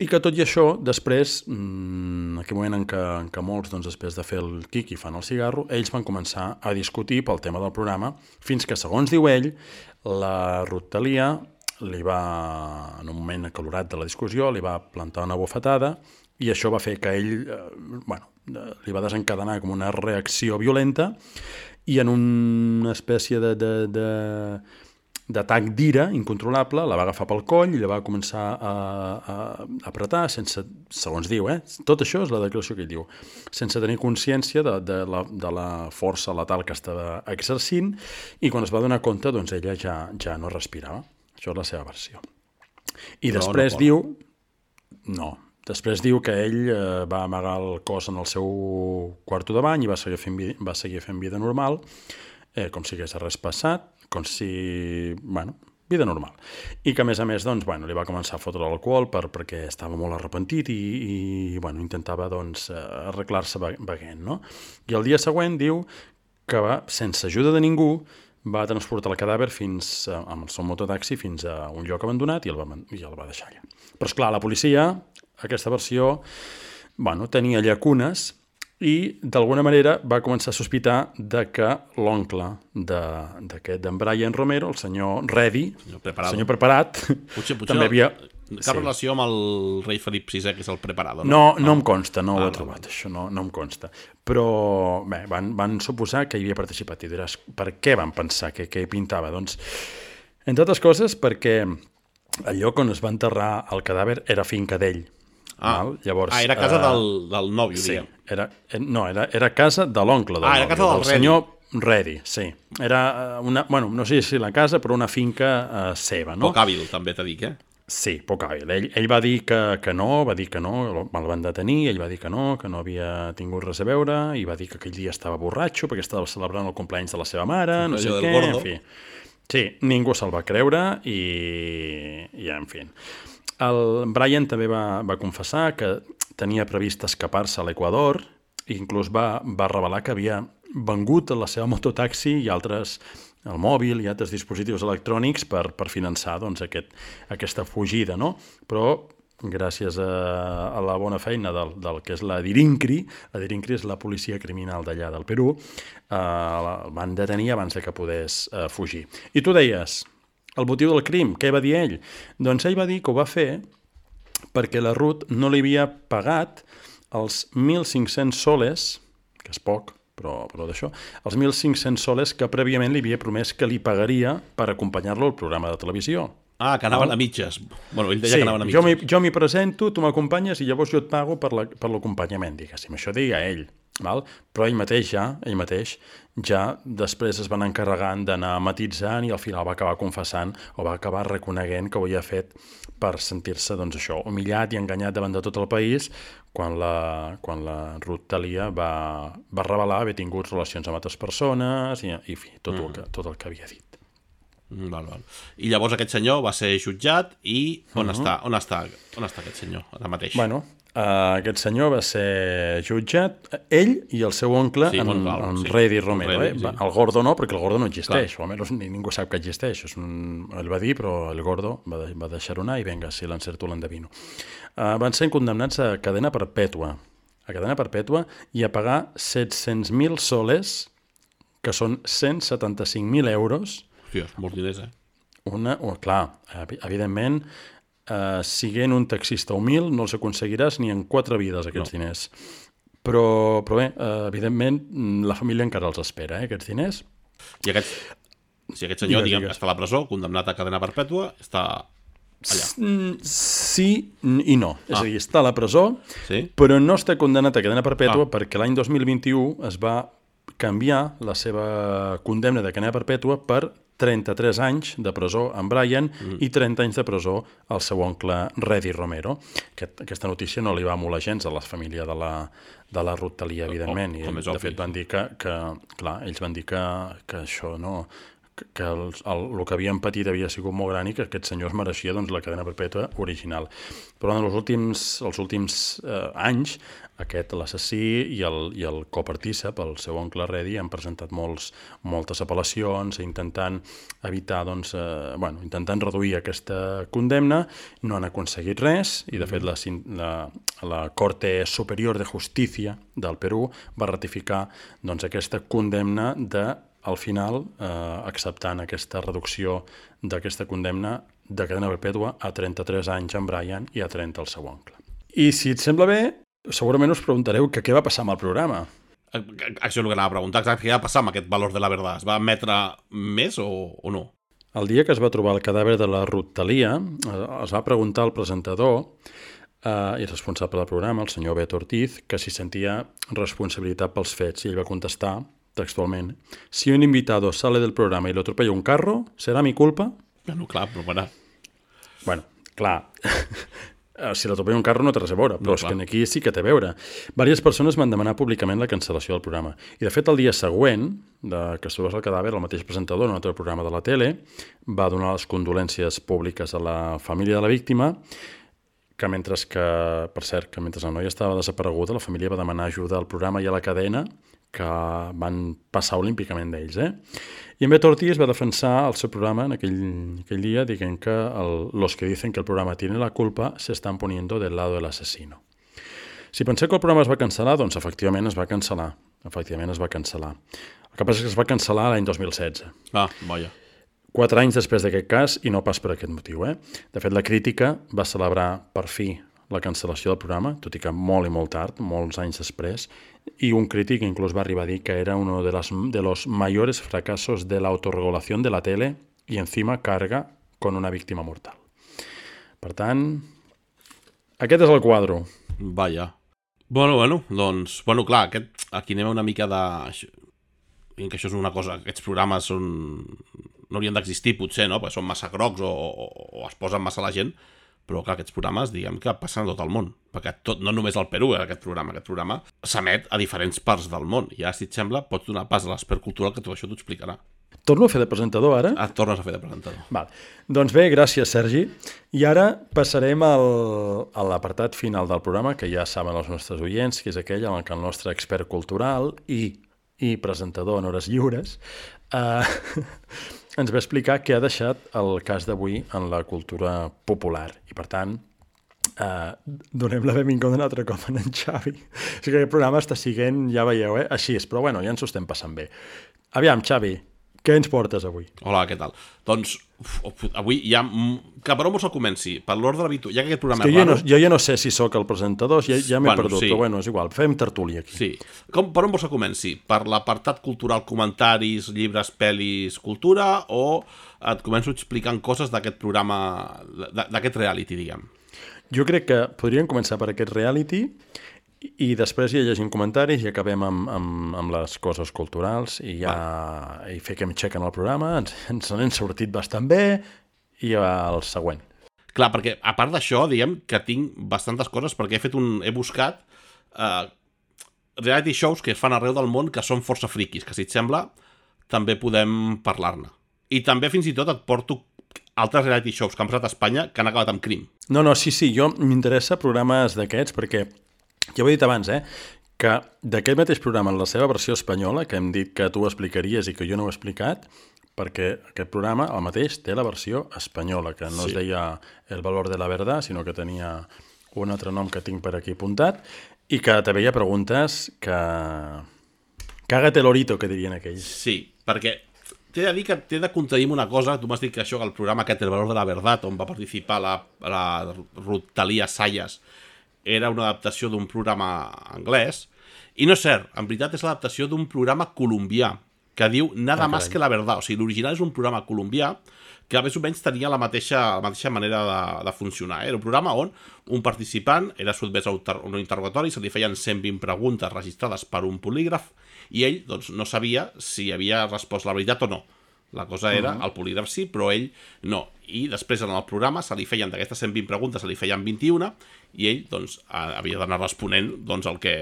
S3: I que tot i això, després, en aquell moment en què molts, doncs, després de fer el quiqui fan el cigarro, ells van començar a discutir pel tema del programa, fins que, segons diu ell, la Ruth Talia li va, en un moment acalorat de la discussió, li va plantar una bufetada i això va fer que ell, li va desencadenar com una reacció violenta i en una espècie d'atac d'ira incontrolable, la va agafar pel coll i la va començar a apretar sense, segons diu, tot això és la declaració que ell diu, sense tenir consciència de la força letal que estava exercint, i quan es va donar compte, doncs ella ja no respirava. Això és la seva versió. I després diu... No, després diu que ell va amagar el cos en el seu quarto de bany i va seguir fent vida normal, com si hagués res passat, com si... vida normal. I que, a més, doncs, li va començar a fotre l'alcohol perquè estava molt arrepentit i intentava, doncs, arreglar-se beguent, no? I el dia següent diu que sense ajuda de ningú, va transportar el cadàver amb el seu mototaxi fins a un lloc abandonat i el va deixar allà. Però, esclar, la policia, aquesta versió, tenia llacunes i, d'alguna manera, va començar a sospitar de que l'oncle d'en Brian Romero, el senyor Reddy, el senyor Preparat,
S2: potser
S3: també havia...
S2: Cap relació amb el rei Felip VI, que és el Preparado,
S3: no? No em consta, no ho he trobat, això no em consta. Però, bé, van suposar que hi havia participat i diràs, per què van pensar que hi pintava? Doncs, entre altres coses, perquè el lloc on es va enterrar el cadàver era finca d'ell. Llavors,
S2: era casa del nòvio, diguem.
S3: Era casa de l'oncle del nòvio,
S2: era casa del
S3: senyor Reddy, sí. Era no sé si la casa, però una finca seva, no?
S2: Poc hàbil, també t'he dit,
S3: Sí, poc hàbil. Ell va dir que no, el van detenir, ell va dir que no havia tingut res a veure, i va dir que aquell dia estava borratxo perquè estava celebrant el cumpleaños de la seva mare, no sé què, en fi. Sí, ningú se'l va creure i en fi. El Brian també va confessar que tenia previst escapar-se a l'Equador i inclús va revelar que havia vengut la seva mototaxi i el mòbil i altres dispositius electrònics per finançar doncs, aquesta fugida, no? Però gràcies a la bona feina del que és la Dirincri és la policia criminal d'allà del Perú, el van detenir abans que pogués fugir. I tu deies, el motiu del crim, què va dir ell? Doncs ell va dir que ho va fer perquè la Ruth no li havia pagat els 1.500 soles, que és poc, però d'això, els 1.500 soles que prèviament li havia promès que li pagaria per acompanyar-lo al programa de televisió.
S2: Que anaven a mitges. Bueno, ell deia que anaven a mitges.
S3: Jo m'hi presento, tu m'acompanyes i llavors jo et pago per l'acompanyament, diguéssim. Això deia ell. Però ell mateix ja després es van encarregant d'anar matitzant i al final va acabar confessant o va acabar reconeguent que ho havia fet per sentir-se, doncs això, humillat i enganyat davant de tot el país quan la Ruth Talia va revelar haver tingut relacions amb altres persones i en fi, tot el que havia dit.
S2: I llavors aquest senyor va ser jutjat i on està aquest senyor ara mateix?
S3: Aquest senyor va ser jutjat, ell i el seu oncle, en Reddy Romero. El Gordo no, perquè el Gordo no existeix, o almenys ningú sap que existeix. Ell va dir, però el Gordo va deixar-ho anar i vinga, si l'encerto l'endevino. Van ser condemnats a cadena perpètua. I a pagar 700.000 soles, que són 175.000 euros.
S2: Hòstia, molts diners,
S3: Clar, evidentment, siguent un taxista humil no els aconseguiràs ni en 4 vides aquests diners, però bé, evidentment la família encara els espera, aquests diners.
S2: I aquest senyor, diguem, està a la presó, condemnat a cadena perpètua, està allà.
S3: Sí i no, és a dir, està a la presó, però no està condemnat a cadena perpètua perquè l'any 2021 es va canviar la seva condemna de cadena perpètua per 33 anys de presó en Brian i 30 anys de presó al seu oncle Reddy Romero. Aquesta notícia no li va molar gens a la família de la Ruth Talia, evidentment. I de fet van dir que clar, ells van dir que això no, que el que havien patit havia sigut molt gran i que aquest senyor es mereixia doncs, la cadena perpètua original. Però en els últims anys, l'assassí i el copartícip, el seu oncle Reddy, han presentat moltes apel·lacions intentant evitar, intentant reduir aquesta condemna. No han aconseguit res i, de fet, la Corte Superior de Justícia del Perú va ratificar aquesta condemna al final, acceptant aquesta reducció d'aquesta condemna de cadena perpètua a 33 anys en Brian i a 30 el seu oncle. I si et sembla bé, segurament us preguntareu què va passar amb el programa.
S2: Això és el que anava a preguntar, exacte, què va passar amb aquest Valor de la Verdad? Es va emetre més o no?
S3: El dia que es va trobar el cadàver de la Ruth Thalia, es va preguntar al presentador i responsable del programa, el senyor Beto Ortiz, que si sentia responsabilitat pels fets, i ell va contestar textualment: si un invitado sale del programa y lo atropella un carro, ¿será mi culpa?
S2: Bueno, clar, però bueno.
S3: Bueno, clar, si l'atropella un carro no té res a veure, però és que aquí sí que té a veure. Vàries persones van demanar públicament la cancel·lació del programa. I, de fet, el dia següent que es trobés el cadàver, el mateix presentador en un altre programa de la tele va donar les condolències públiques a la família de la víctima, que mentre la noia estava desapareguda, la família va demanar ajuda al programa i a la cadena, que van passar olímpicament d'ells. I en Beto Ortiz va defensar el seu programa en aquell dia dient que los que dicen que el programa tiene la culpa se están poniendo del lado del asesino. Si penseu que el programa es va cancel·lar, doncs efectivament es va cancel·lar. El que passa és que es va cancel·lar l'any 2016.
S2: Ah, vaja.
S3: 4 anys després d'aquest cas, i no pas per aquest motiu. De fet, la crítica va celebrar per fi la cancel·lació del programa, tot i que molt i molt tard, molts anys després, y un crític incluso va arribar a dir que era uno de los mayores fracasos de la autorregulación de la tele y encima carga con una víctima mortal. Per tant, aquest és el quadre.
S2: Vaja. Bueno, doncs, clar, aquí anem una mica de... que això és una cosa, aquests programes no haurien d'existir potser, no? Perquè són massa grocs o es posen massa la gent, però clar, aquests programes, diguem que passen a tot el món, perquè no només al Perú, aquest programa s'emet a diferents parts del món, i ara, si et sembla, pots donar pas a l'Expert Cultural, que tot això t'ho explicarà.
S3: Torno a fer de presentador, ara?
S2: Tornes a fer de presentador.
S3: Val. Doncs bé, gràcies, Sergi. I ara passarem a l'apartat final del programa, que ja saben els nostres oients, que és aquell en què el nostre expert cultural i presentador en hores lliures ens va explicar què ha deixat el cas d'avui en la cultura popular. I, per tant, donem la benvinguda un altre cop a en Xavi. O sigui que aquest programa està siguent, ja veieu, així és, però bueno, ja ens ho estem passant bé. Aviam, Xavi, què ens portes avui?
S2: Hola, què tal? Doncs, avui ja... Que per on vols que comenci? Per l'ordre habitual, ja que aquest programa és raro...
S3: Jo ja no sé si sóc el presentador, ja m'he perdut, sí. Però bueno, és igual, fem tertúlia aquí.
S2: Sí. Per on vols que comenci? Per l'apartat cultural, comentaris, llibres, pel·lis, cultura, o et començo explicant coses d'aquest programa, d'aquest reality, diguem?
S3: Jo crec que podríem començar per aquest reality i després ja llegim comentaris i acabem amb les coses culturals i fiquem check en el programa, ens n'hem sortit bastant bé i el següent.
S2: Clar, perquè a part d'això, diguem que tinc bastantes coses perquè he buscat reality shows que es fan arreu del món que són força friquis, que si et sembla també podem parlar-ne. I també fins i tot et porto altres reality shows que han passat a Espanya que han acabat amb crim.
S3: No, sí, jo m'interessa programes d'aquests perquè ja ho he dit abans, que d'aquest mateix programa, en la seva versió espanyola, que hem dit que tu ho explicaries i que jo no ho he explicat, perquè aquest programa, el mateix, té la versió espanyola, que no es deia El Valor de la Verdad, sinó que tenia un altre nom que tinc per aquí apuntat, i que també hi ha preguntes que... Cágate lorito, que dirien aquells.
S2: Sí, perquè t'he de dir que t'he de contradir una cosa. Tu m'has dit que això, que el programa aquest, El Valor de la Verdad, on va participar la Ruth Thalia Sayas, era una adaptació d'un programa anglès, i no és cert, en veritat és l'adaptació d'un programa colombià, que diu Nada más que la verdad. O sigui, l'original és un programa colombià que més o menys tenia la mateixa manera de funcionar. Era un programa on un participant era sotmès a un interrogatori, se li feien 120 preguntes registrades per un polígraf, i ell doncs, no sabia si havia respost la veritat o no. La cosa era, el polígraf sí, però ell no. I després en el programa se li feien d'aquestes 120 preguntes, se li feien 21, i ell doncs, havia d'anar responent doncs, el que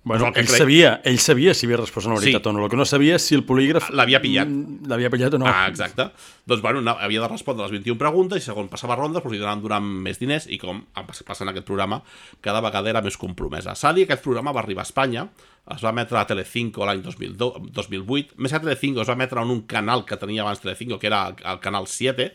S3: Bueno, ell sabia si havia respost una veritat o no. El que no sabia és si el polígraf
S2: l'havia pillat.
S3: L'havia pillat o no.
S2: Exacte. Doncs, bueno, havia de respondre les 21 preguntes i segons passava rondes li donaven durant més diners i com passa en aquest programa, cada vegada era més compromesa. S'ha de dir que aquest programa va arribar a Espanya, es va emetre a Telecinco l'any 2008, més que a Telecinco es va emetre en un canal que tenia abans Telecinco, que era el canal 7,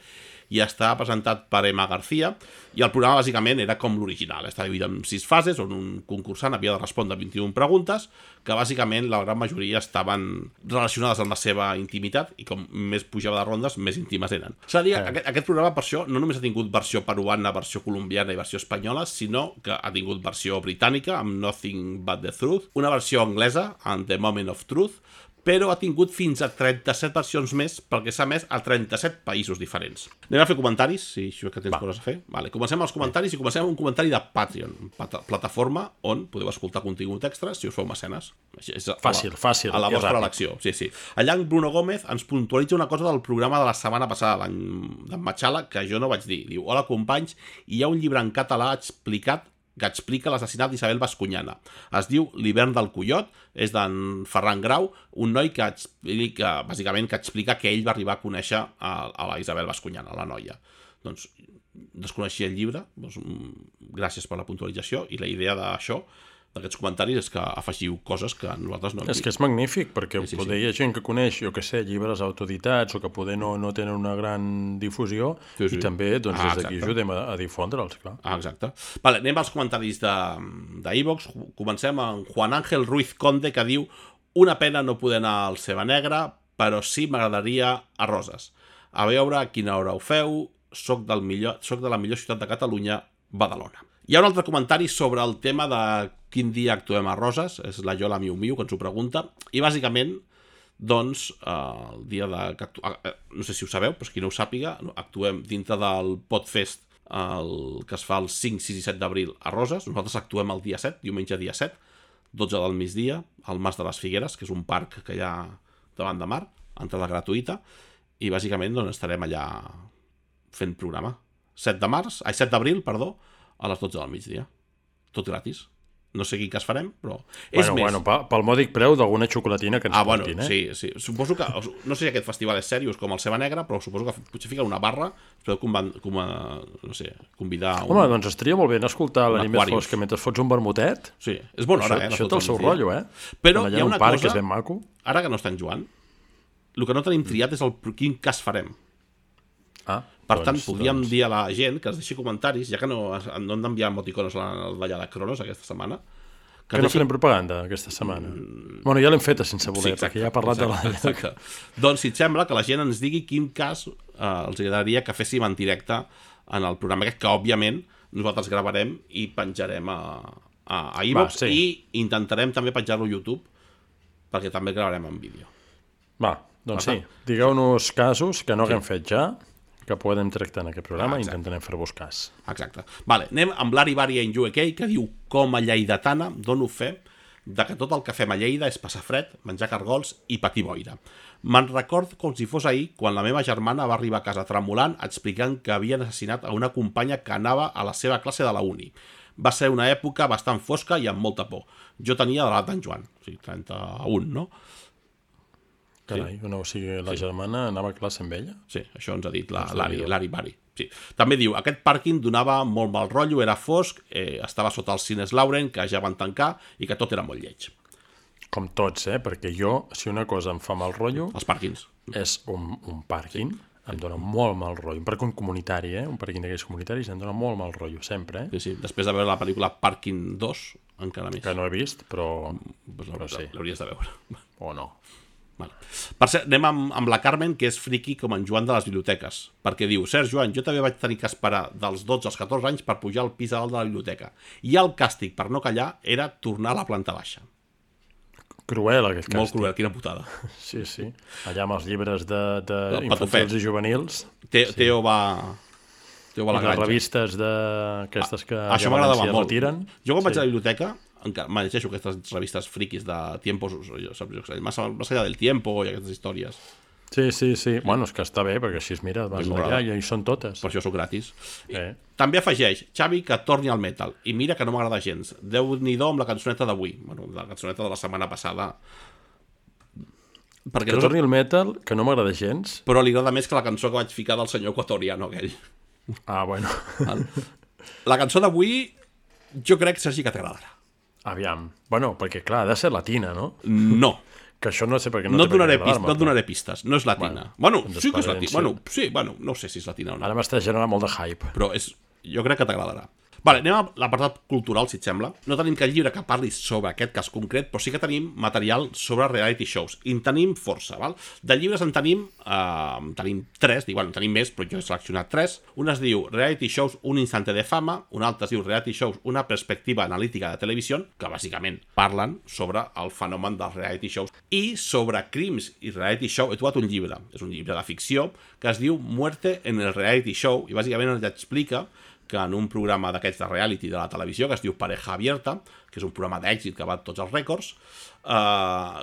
S2: i estava presentat per Emma García, i el programa bàsicament era com l'original, estava dividit en 6 fases, on un concursant havia de respondre 21 preguntes, que bàsicament la gran majoria estaven relacionades amb la seva intimitat, i com més pujava de rondes, més íntimes eren. S'ha de dir que aquest programa, per això, no només ha tingut versió peruana, versió colombiana i versió espanyola, sinó que ha tingut versió britànica, amb Nothing But The Truth, una versió anglesa, amb The Moment of Truth, però ha tingut fins a 37 versions més perquè s'ha emès a 37 països diferents. Anem a fer comentaris, si això que tens coses a fer. Vale, comencem els comentaris i comencem amb un comentari de Patreon, plataforma on podeu escoltar contingut extra si us feu mecenes.
S3: Fàcil.
S2: A la vostra elecció. Sí. Allà en Bruno Gómez ens puntualitza una cosa del programa de la setmana passada, d'en Machala, que jo no vaig dir. Diu, hola companys, hi ha un llibre en català que explica l'assassinat d'Isabel Bascuñana. Es diu L'hivern del Coiot, és d'en Ferran Grau, un noi que explica, bàsicament, que ell va arribar a conèixer a la Isabel Bascuñana, la noia. Doncs desconeixia el llibre, doncs, gràcies per la puntualització, i la idea d'això, d'aquests comentaris, és que afegiu coses que nosaltres no hem dit.
S3: És que és magnífic, perquè poder hi ha gent que coneix, jo que sé, llibres autoeditats o que poder no tenen una gran difusió i també des d'aquí ajudem a difondre'ls, clar.
S2: Exacte. Vale, anem als comentaris d'iVox. Comencem amb Juan Ángel Ruiz Conde, que diu: una pena no poder anar al Ceba Negra, però sí m'agradaria a Roses. A veure a quina hora ho feu, soc de la millor ciutat de Catalunya, Badalona. Hi ha un altre comentari sobre el tema de quin dia actuem a Roses, és la Yola Miu Miu que ens ho pregunta, i bàsicament, doncs, el dia de... no sé si ho sabeu, però qui no ho sàpiga, actuem dintre del Podfest que es fa el 5, 6 i 7 d'abril a Roses. Nosaltres actuem el dia 7, diumenge dia 7, 12 del migdia, al Mas de les Figueres, que és un parc que hi ha davant de mar, entrada gratuïta, i bàsicament doncs, estarem allà fent programa. 7 d'abril, a les 12 del migdia. Tot gratis. No sé quin cas farem, però...
S3: pel mòdic preu d'alguna xocolatina que ens portin,
S2: Sí. Suposo que... No sé si aquest festival és seriós com el Ceba Negra, però suposo que potser fica una barra, podeu convidar...
S3: Home, doncs estaria molt bé escoltar l'Anit Més Fosca mentre fots un vermutet.
S2: Sí, és bona hora,
S3: Això té el seu rotllo,
S2: Però hi ha una
S3: cosa... que és ben maco.
S2: Ara que no està en Joan, el que no tenim triat és quin cas farem. Per tant, podríem dir a la gent que ens deixi comentaris, ja que no hem d'enviar emoticones al ballar de Cronos aquesta setmana.
S3: Que no farem propaganda aquesta setmana. Bueno, ja l'hem feta sense voler, perquè ja ha parlat de la...
S2: Exacte. Doncs si et sembla que la gent ens digui quin cas els agradaria que féssim en directe en el programa aquest, que òbviament nosaltres gravarem i penjarem a iVox i intentarem també penjar-lo a YouTube, perquè també gravarem en vídeo.
S3: Doncs sí, digueu-nos casos que no haguem fet ja, que podem tractar en aquest programa i intentarem fer-vos cas.
S2: Exacte. Vale, anem amb l'Ari Bari en UK, que diu: com a lleidatana dono fe de que tot el que fem a Lleida és passar fred, menjar cargols i patir boira. Me'n record com si fos ahir quan la meva germana va arribar a casa tremolant explicant que havien assassinat a una companya que anava a la seva classe de la uni. Va ser una època bastant fosca i amb molta por. Jo tenia l'edat d'en Joan, o sigui, 31, no?
S3: Carai, o sigui, la germana anava a classe amb ella?
S2: Sí, això ens ha dit l'Ari Bari. Sí. També diu, aquest pàrquing donava molt mal rotllo, era fosc, estava sota els cines Lauren, que ja van tancar, i que tot era molt lleig.
S3: Com tots, perquè jo, si una cosa em fa mal rotllo...
S2: Els pàrquings.
S3: És un pàrquing, em dona molt mal rotllo. Un pàrquing comunitari, un pàrquing d'aquells comunitaris, em dona molt mal rotllo, sempre.
S2: Sí, després de veure la pel·lícula Pàrquing 2, encara més.
S3: Que no he vist, però
S2: sí. L'hauries de veure.
S3: O no.
S2: Vale. Per cert, anem amb la Carmen, que és friqui com en Joan de les biblioteques, perquè diu: Sergi, Joan, jo també vaig tenir que esperar dels 12 als 14 anys per pujar al pis a dalt de la biblioteca, i el càstig per no callar era tornar a la planta baixa.
S3: Cruel, aquest càstig.
S2: Molt cruel, quina putada.
S3: Sí. Allà amb els llibres d'infantils i juvenils.
S2: Teo va a la granja.
S3: Les revistes d'aquestes que
S2: això m'agradava molt.
S3: Retiren.
S2: Jo quan vaig a la biblioteca me llegeixo aquestes revistes friquis de tiempos, más allá del tiempo i aquestes històries.
S3: Sí. Bueno, és que està bé, perquè així, mira, vas allà i hi són totes.
S2: Per això sóc gratis. També afegeix, Xavi, que torni al metal. I mira que no m'agrada gens. Déu-n'hi-do amb la cançoneta d'avui. Bueno, la cançoneta de la setmana passada.
S3: Perquè torni al metal, que no m'agrada gens.
S2: Però li agrada més que la cançó que vaig ficar del senyor equatoriano aquell.
S3: Ah, bueno.
S2: La cançó d'avui, jo crec, Sergi, que t'agradarà.
S3: Aviam. Bueno, perquè clar, ha de ser latina, no?
S2: No.
S3: Que això no sé per què
S2: no
S3: té per què
S2: agradar-me. No et donaré pistes, no és latina. Bueno, sí que és latina. Bueno, no sé si és latina o no.
S3: Ara m'està generant molt de hype.
S2: Però jo crec que t'agradarà. Vale, anem a l'apartat cultural, si et sembla. No tenim cap llibre que parli sobre aquest cas concret, però sí que tenim material sobre reality shows. I en tenim força, val? De llibres en tenim 3, bueno, en tenim més, però jo he seleccionat 3. Un es diu Reality Shows, un instante de fama, un altre es diu Reality Shows, una perspectiva analítica de televisió, que bàsicament parlen sobre el fenomen dels reality shows. I sobre crims i reality show he trobat un llibre, és un llibre de ficció, que es diu Muerte en el reality show, i bàsicament ens explica que en un programa d'aquests de reality de la televisió, que es diu Pareja Abierta, que és un programa d'èxit que va a tots els rècords,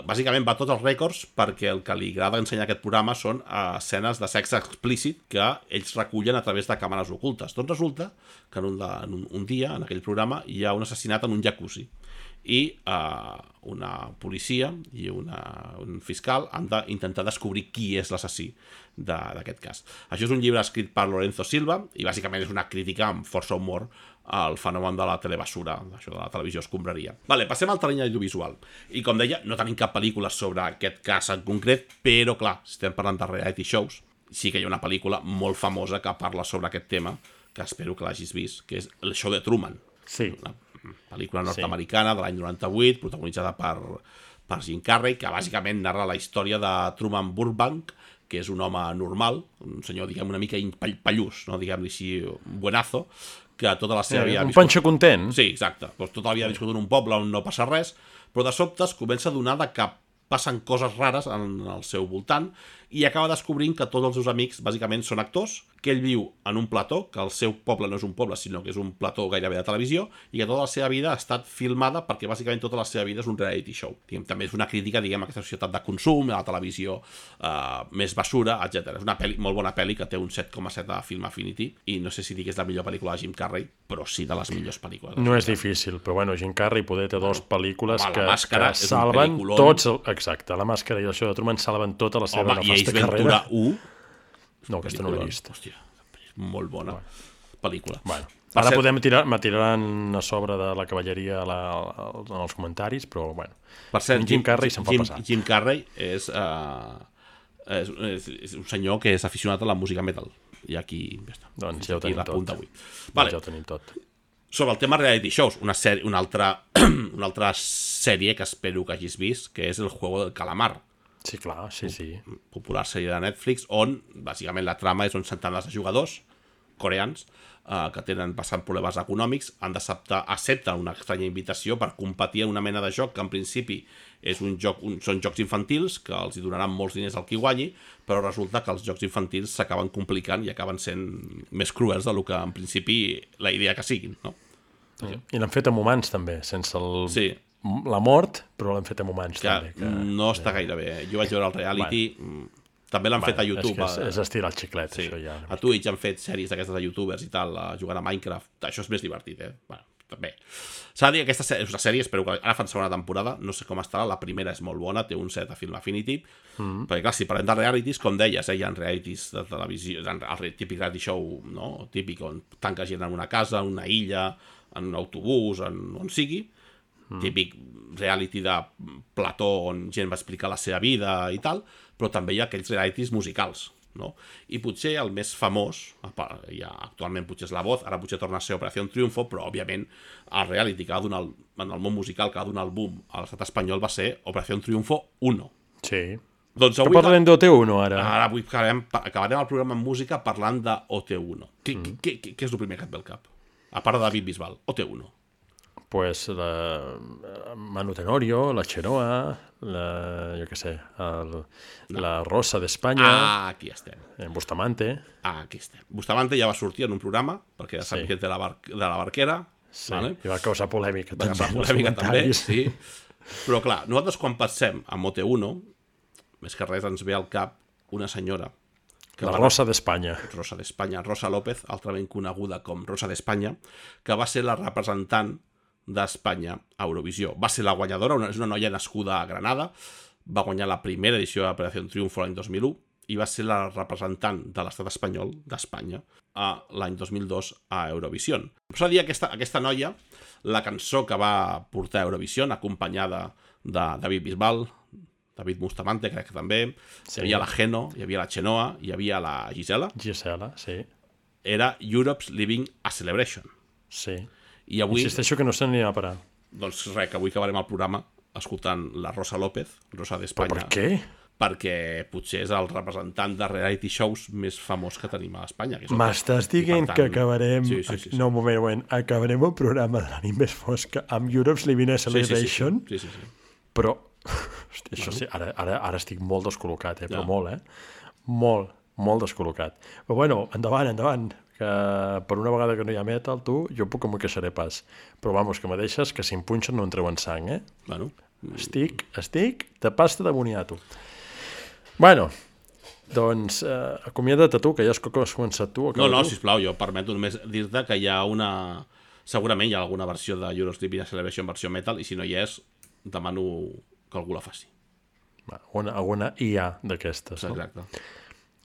S2: bàsicament va a tots els rècords perquè el que li agrada ensenyar aquest programa són escenes de sexe explícit que ells recullen a través de càmeres ocultes. Doncs resulta que un dia, en aquell programa, hi ha un assassinat en un jacuzzi i una policia i un fiscal han d'intentar descobrir qui és l'assassí d'aquest cas. Això és un llibre escrit per Lorenzo Silva i bàsicament és una crítica amb força humor al fenomen de la telebasura, això de la televisió escombraria. Vale, passem al terreny audiovisual. I com deia, no tenim cap pel·lícula sobre aquest cas en concret, però clar, si estem parlant de reality shows, sí que hi ha una pel·lícula molt famosa que parla sobre aquest tema, que espero que l'hagis vist, que és El show de Truman.
S3: Sí.
S2: Una pel·lícula nord-americana de l'any 98, protagonitzada per Jim Carrey, que bàsicament narra la història de Truman Burbank, que és un home normal, un senyor, diguem, una mica pallús, no? Diguem-li així, buenazo, que tota la seva vida...
S3: Un panxo content.
S2: Sí, exacte. Doncs tota la vida ha viscut en un poble on no passa res, però de sobte es comença a donar que passen coses rares en el seu voltant i acaba descobrint que tots els seus amics bàsicament són actors, que ell viu en un plató, que el seu poble no és un poble, sinó que és un plató gairebé de televisió, i que tota la seva vida ha estat filmada perquè bàsicament tota la seva vida és un reality show. També és una crítica, diguem, a aquesta societat de consum, a la televisió més basura, etc. És una molt bona pel·li que té un 7,7 a Film Affinity, i no sé si dic que és la millor pel·lícula de Jim Carrey, però sí de les millors pel·lícules.
S3: No és difícil, però bueno, Jim Carrey poder té dues pel·lícules que salven
S2: un
S3: tots... Exacte, La màscara i el show de Truman salven tota la seva nefasta carrera.
S2: 1.
S3: No, aquesta no l'he vist.
S2: Hòstia, molt bona pel·lícula.
S3: Bueno, ara me tiraran a sobre de la cavalleria en els comentaris, però bueno.
S2: Per cert,
S3: Jim Carrey se'n fa passar.
S2: Jim Carrey és un senyor que és aficionat a la música metal. I aquí ja està.
S3: Doncs ja ho tenim tot.
S2: Vale.
S3: Ja ho tenim tot.
S2: Sobre el tema reality shows, una altra sèrie que espero que hagis vist, que és El juego del calamar.
S3: Sí, clar, sí.
S2: Popular sèrie de Netflix, on bàsicament la trama és on centenars de jugadors coreans que passant problemes econòmics accepten una estranya invitació per competir en una mena de joc que en principi és són jocs infantils que els hi donaran molts diners al qui guanyi, però resulta que els jocs infantils s'acaben complicant i acaben sent més cruels del que en principi la idea que siguin, no?
S3: I l'han fet amb humans també, sense la mort, però l'han fet amb humans també.
S2: No està gaire bé. Jo vaig veure el reality, també l'han fet a YouTube.
S3: És estirar el xiclet, això ja.
S2: A Twitch han fet sèries d'aquestes de youtubers i tal, jugant a Minecraft. Això és més divertit, Bueno, també. S'ha de dir que aquesta és una sèrie, espero que ara fan segona temporada, no sé com estarà, la primera és molt bona, té un 7 a Film Affinity, perquè clar, si parlem de realities, com deies, hi ha realities de televisió, el típic reality show, no? Típic on tanca gent en una casa, en una illa, en un autobús, on sigui, típic reality de plató on gent va explicar la seva vida i tal, però també hi ha aquells realities musicals, no? I potser el més famós, actualment potser és La Voz, ara potser torna a ser Operació Triunfo, però òbviament el reality que va donar en el món musical, que va donar el boom a l'estat espanyol va ser Operació Triunfo 1.
S3: Sí.
S2: Doncs
S3: avui parlem d'OT1 ara.
S2: Ara avui acabarem el programa en música parlant de OT1. Què és el primer que et ve al cap? A part de David Bisbal, OT1.
S3: Pues Manu Tenorio, la Chenoa, jo què sé, la Rosa d'Espanya.
S2: Aquí estem.
S3: Bustamante.
S2: Aquí estem. Bustamante ja va sortir en un programa, perquè ja sap que és de la Barquera.
S3: Sí, vale? I va causar polèmica
S2: també. Sí. Però clar, nosaltres quan pensem en OT1, més que res ens ve al cap una senyora...
S3: La Rosa d'Espanya.
S2: Rosa d'Espanya, Rosa López, altrament coneguda com Rosa d'Espanya, que va ser la representant d'Espanya a Eurovisió. Va ser la guanyadora, és una noia nascuda a Granada, va guanyar la primera edició de Operació Triunfo l'any 2001 i va ser la representant de l'estat espanyol d'Espanya l'any 2002 a Eurovisió. S'ha de dir aquesta noia, la cançó que va portar a Eurovisió, acompanyada de David Bisbal, David Bustamante, crec que també, hi havia la Geno, hi havia la Chenoa, hi havia la Gisela.
S3: Gisela, sí.
S2: Era Europe's Living a Celebration.
S3: Sí.
S2: I avui...
S3: Insisteixo que no se n'anirà a parar.
S2: Doncs res, que avui acabarem el programa escoltant la Rosa López, Rosa d'Espanya.
S3: Però per què?
S2: Perquè potser és el representant de reality shows més famós que tenim a Espanya.
S3: M'estàs dient que acabarem...
S2: Sí.
S3: No, un moment. Acabarem el programa de la nit més fosca amb Europe's Living a Celebration?
S2: Sí.
S3: Però... Hosti, això sí, ara estic molt descol·locat, però molt, molt descol·locat. Però bueno, endavant, que per una vegada que no hi ha metal, jo puc que m'ho queixaré pas. Però vamos, que me deixes que si em punxen no em treuen sang,
S2: Bueno.
S3: Estic de pasta de boniato. Bueno, doncs acomiada't a tu, que ja has començat tu.
S2: No, sisplau, jo permeto només dir-te que hi ha segurament hi ha alguna versió de Europe's Living a Celebration versió metal, i si no hi és, demano que algú la faci.
S3: Alguna IA d'aquestes, no?
S2: Exacte.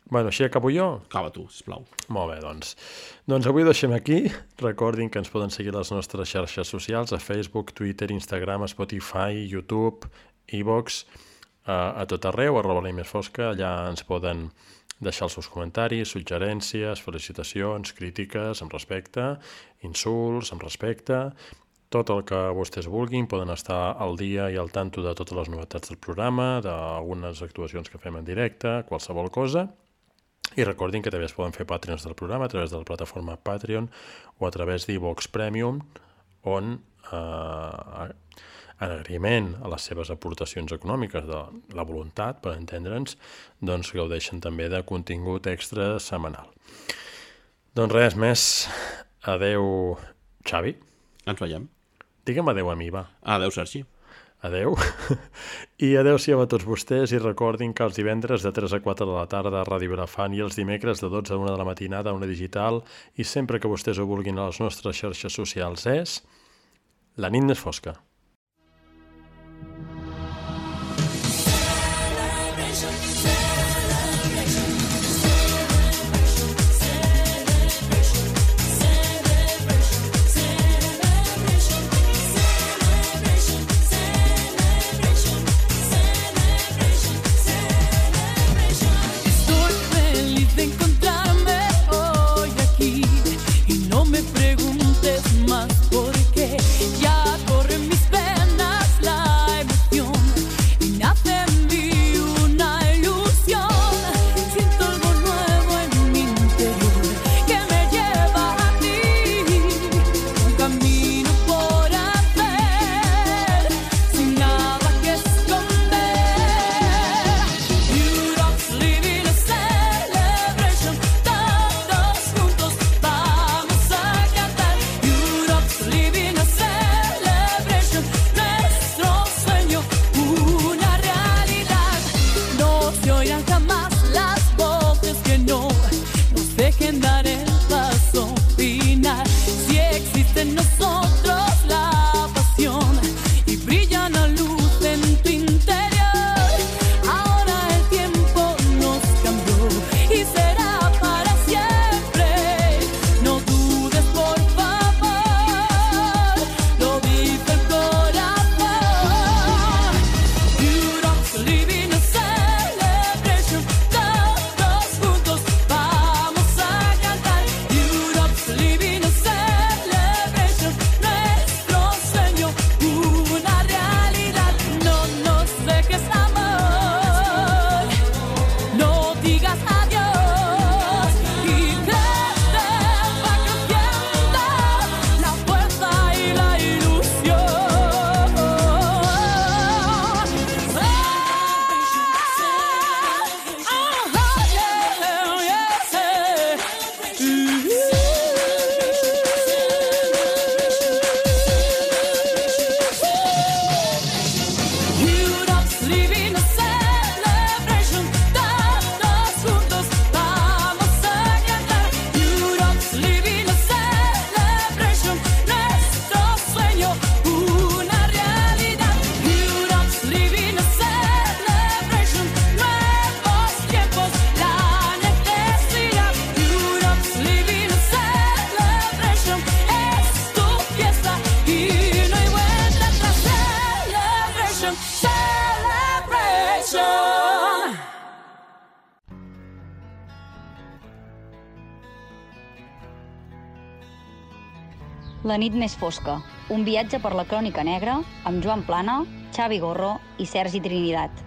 S3: Bueno, així acabo jo?
S2: Acaba tu, sisplau.
S3: Molt bé, doncs. Doncs avui ho deixem aquí. Recordin que ens poden seguir a les nostres xarxes socials, a Facebook, Twitter, Instagram, Spotify, YouTube, iVoox, a tot arreu, @la_més_fosca. Allà ens poden deixar els seus comentaris, suggerències, felicitacions, crítiques, amb respecte, insults, amb respecte... Tot el que vostès vulguin, poden estar al dia i al tanto de totes les novetats del programa, d'algunes actuacions que fem en directe, qualsevol cosa. I recordin que també es poden fer Patreons del programa a través de la plataforma Patreon o a través d'Ivox Premium, on en agraïment a les seves aportacions econòmiques, de la voluntat, per entendre'ns, doncs gaudeixen també de contingut extra setmanal. Doncs res més. Adeu, Xavi.
S2: Ens veiem.
S3: Digue'm adeu a mi, va.
S2: Adeu, Sergi.
S3: Adeu. I adeu-siau a tots vostès i recordin que els divendres de 3 a 4 de la tarda a Ràdio Vilafant i els dimecres de 12 a 1 de la matinada a Ona Digital i sempre que vostès ho vulguin a les nostres xarxes socials és La nit més fosca.
S1: La nit més fosca, un viatge per la crònica negra amb Joan Plana, Xavi Gorro i Sergi Trinitat.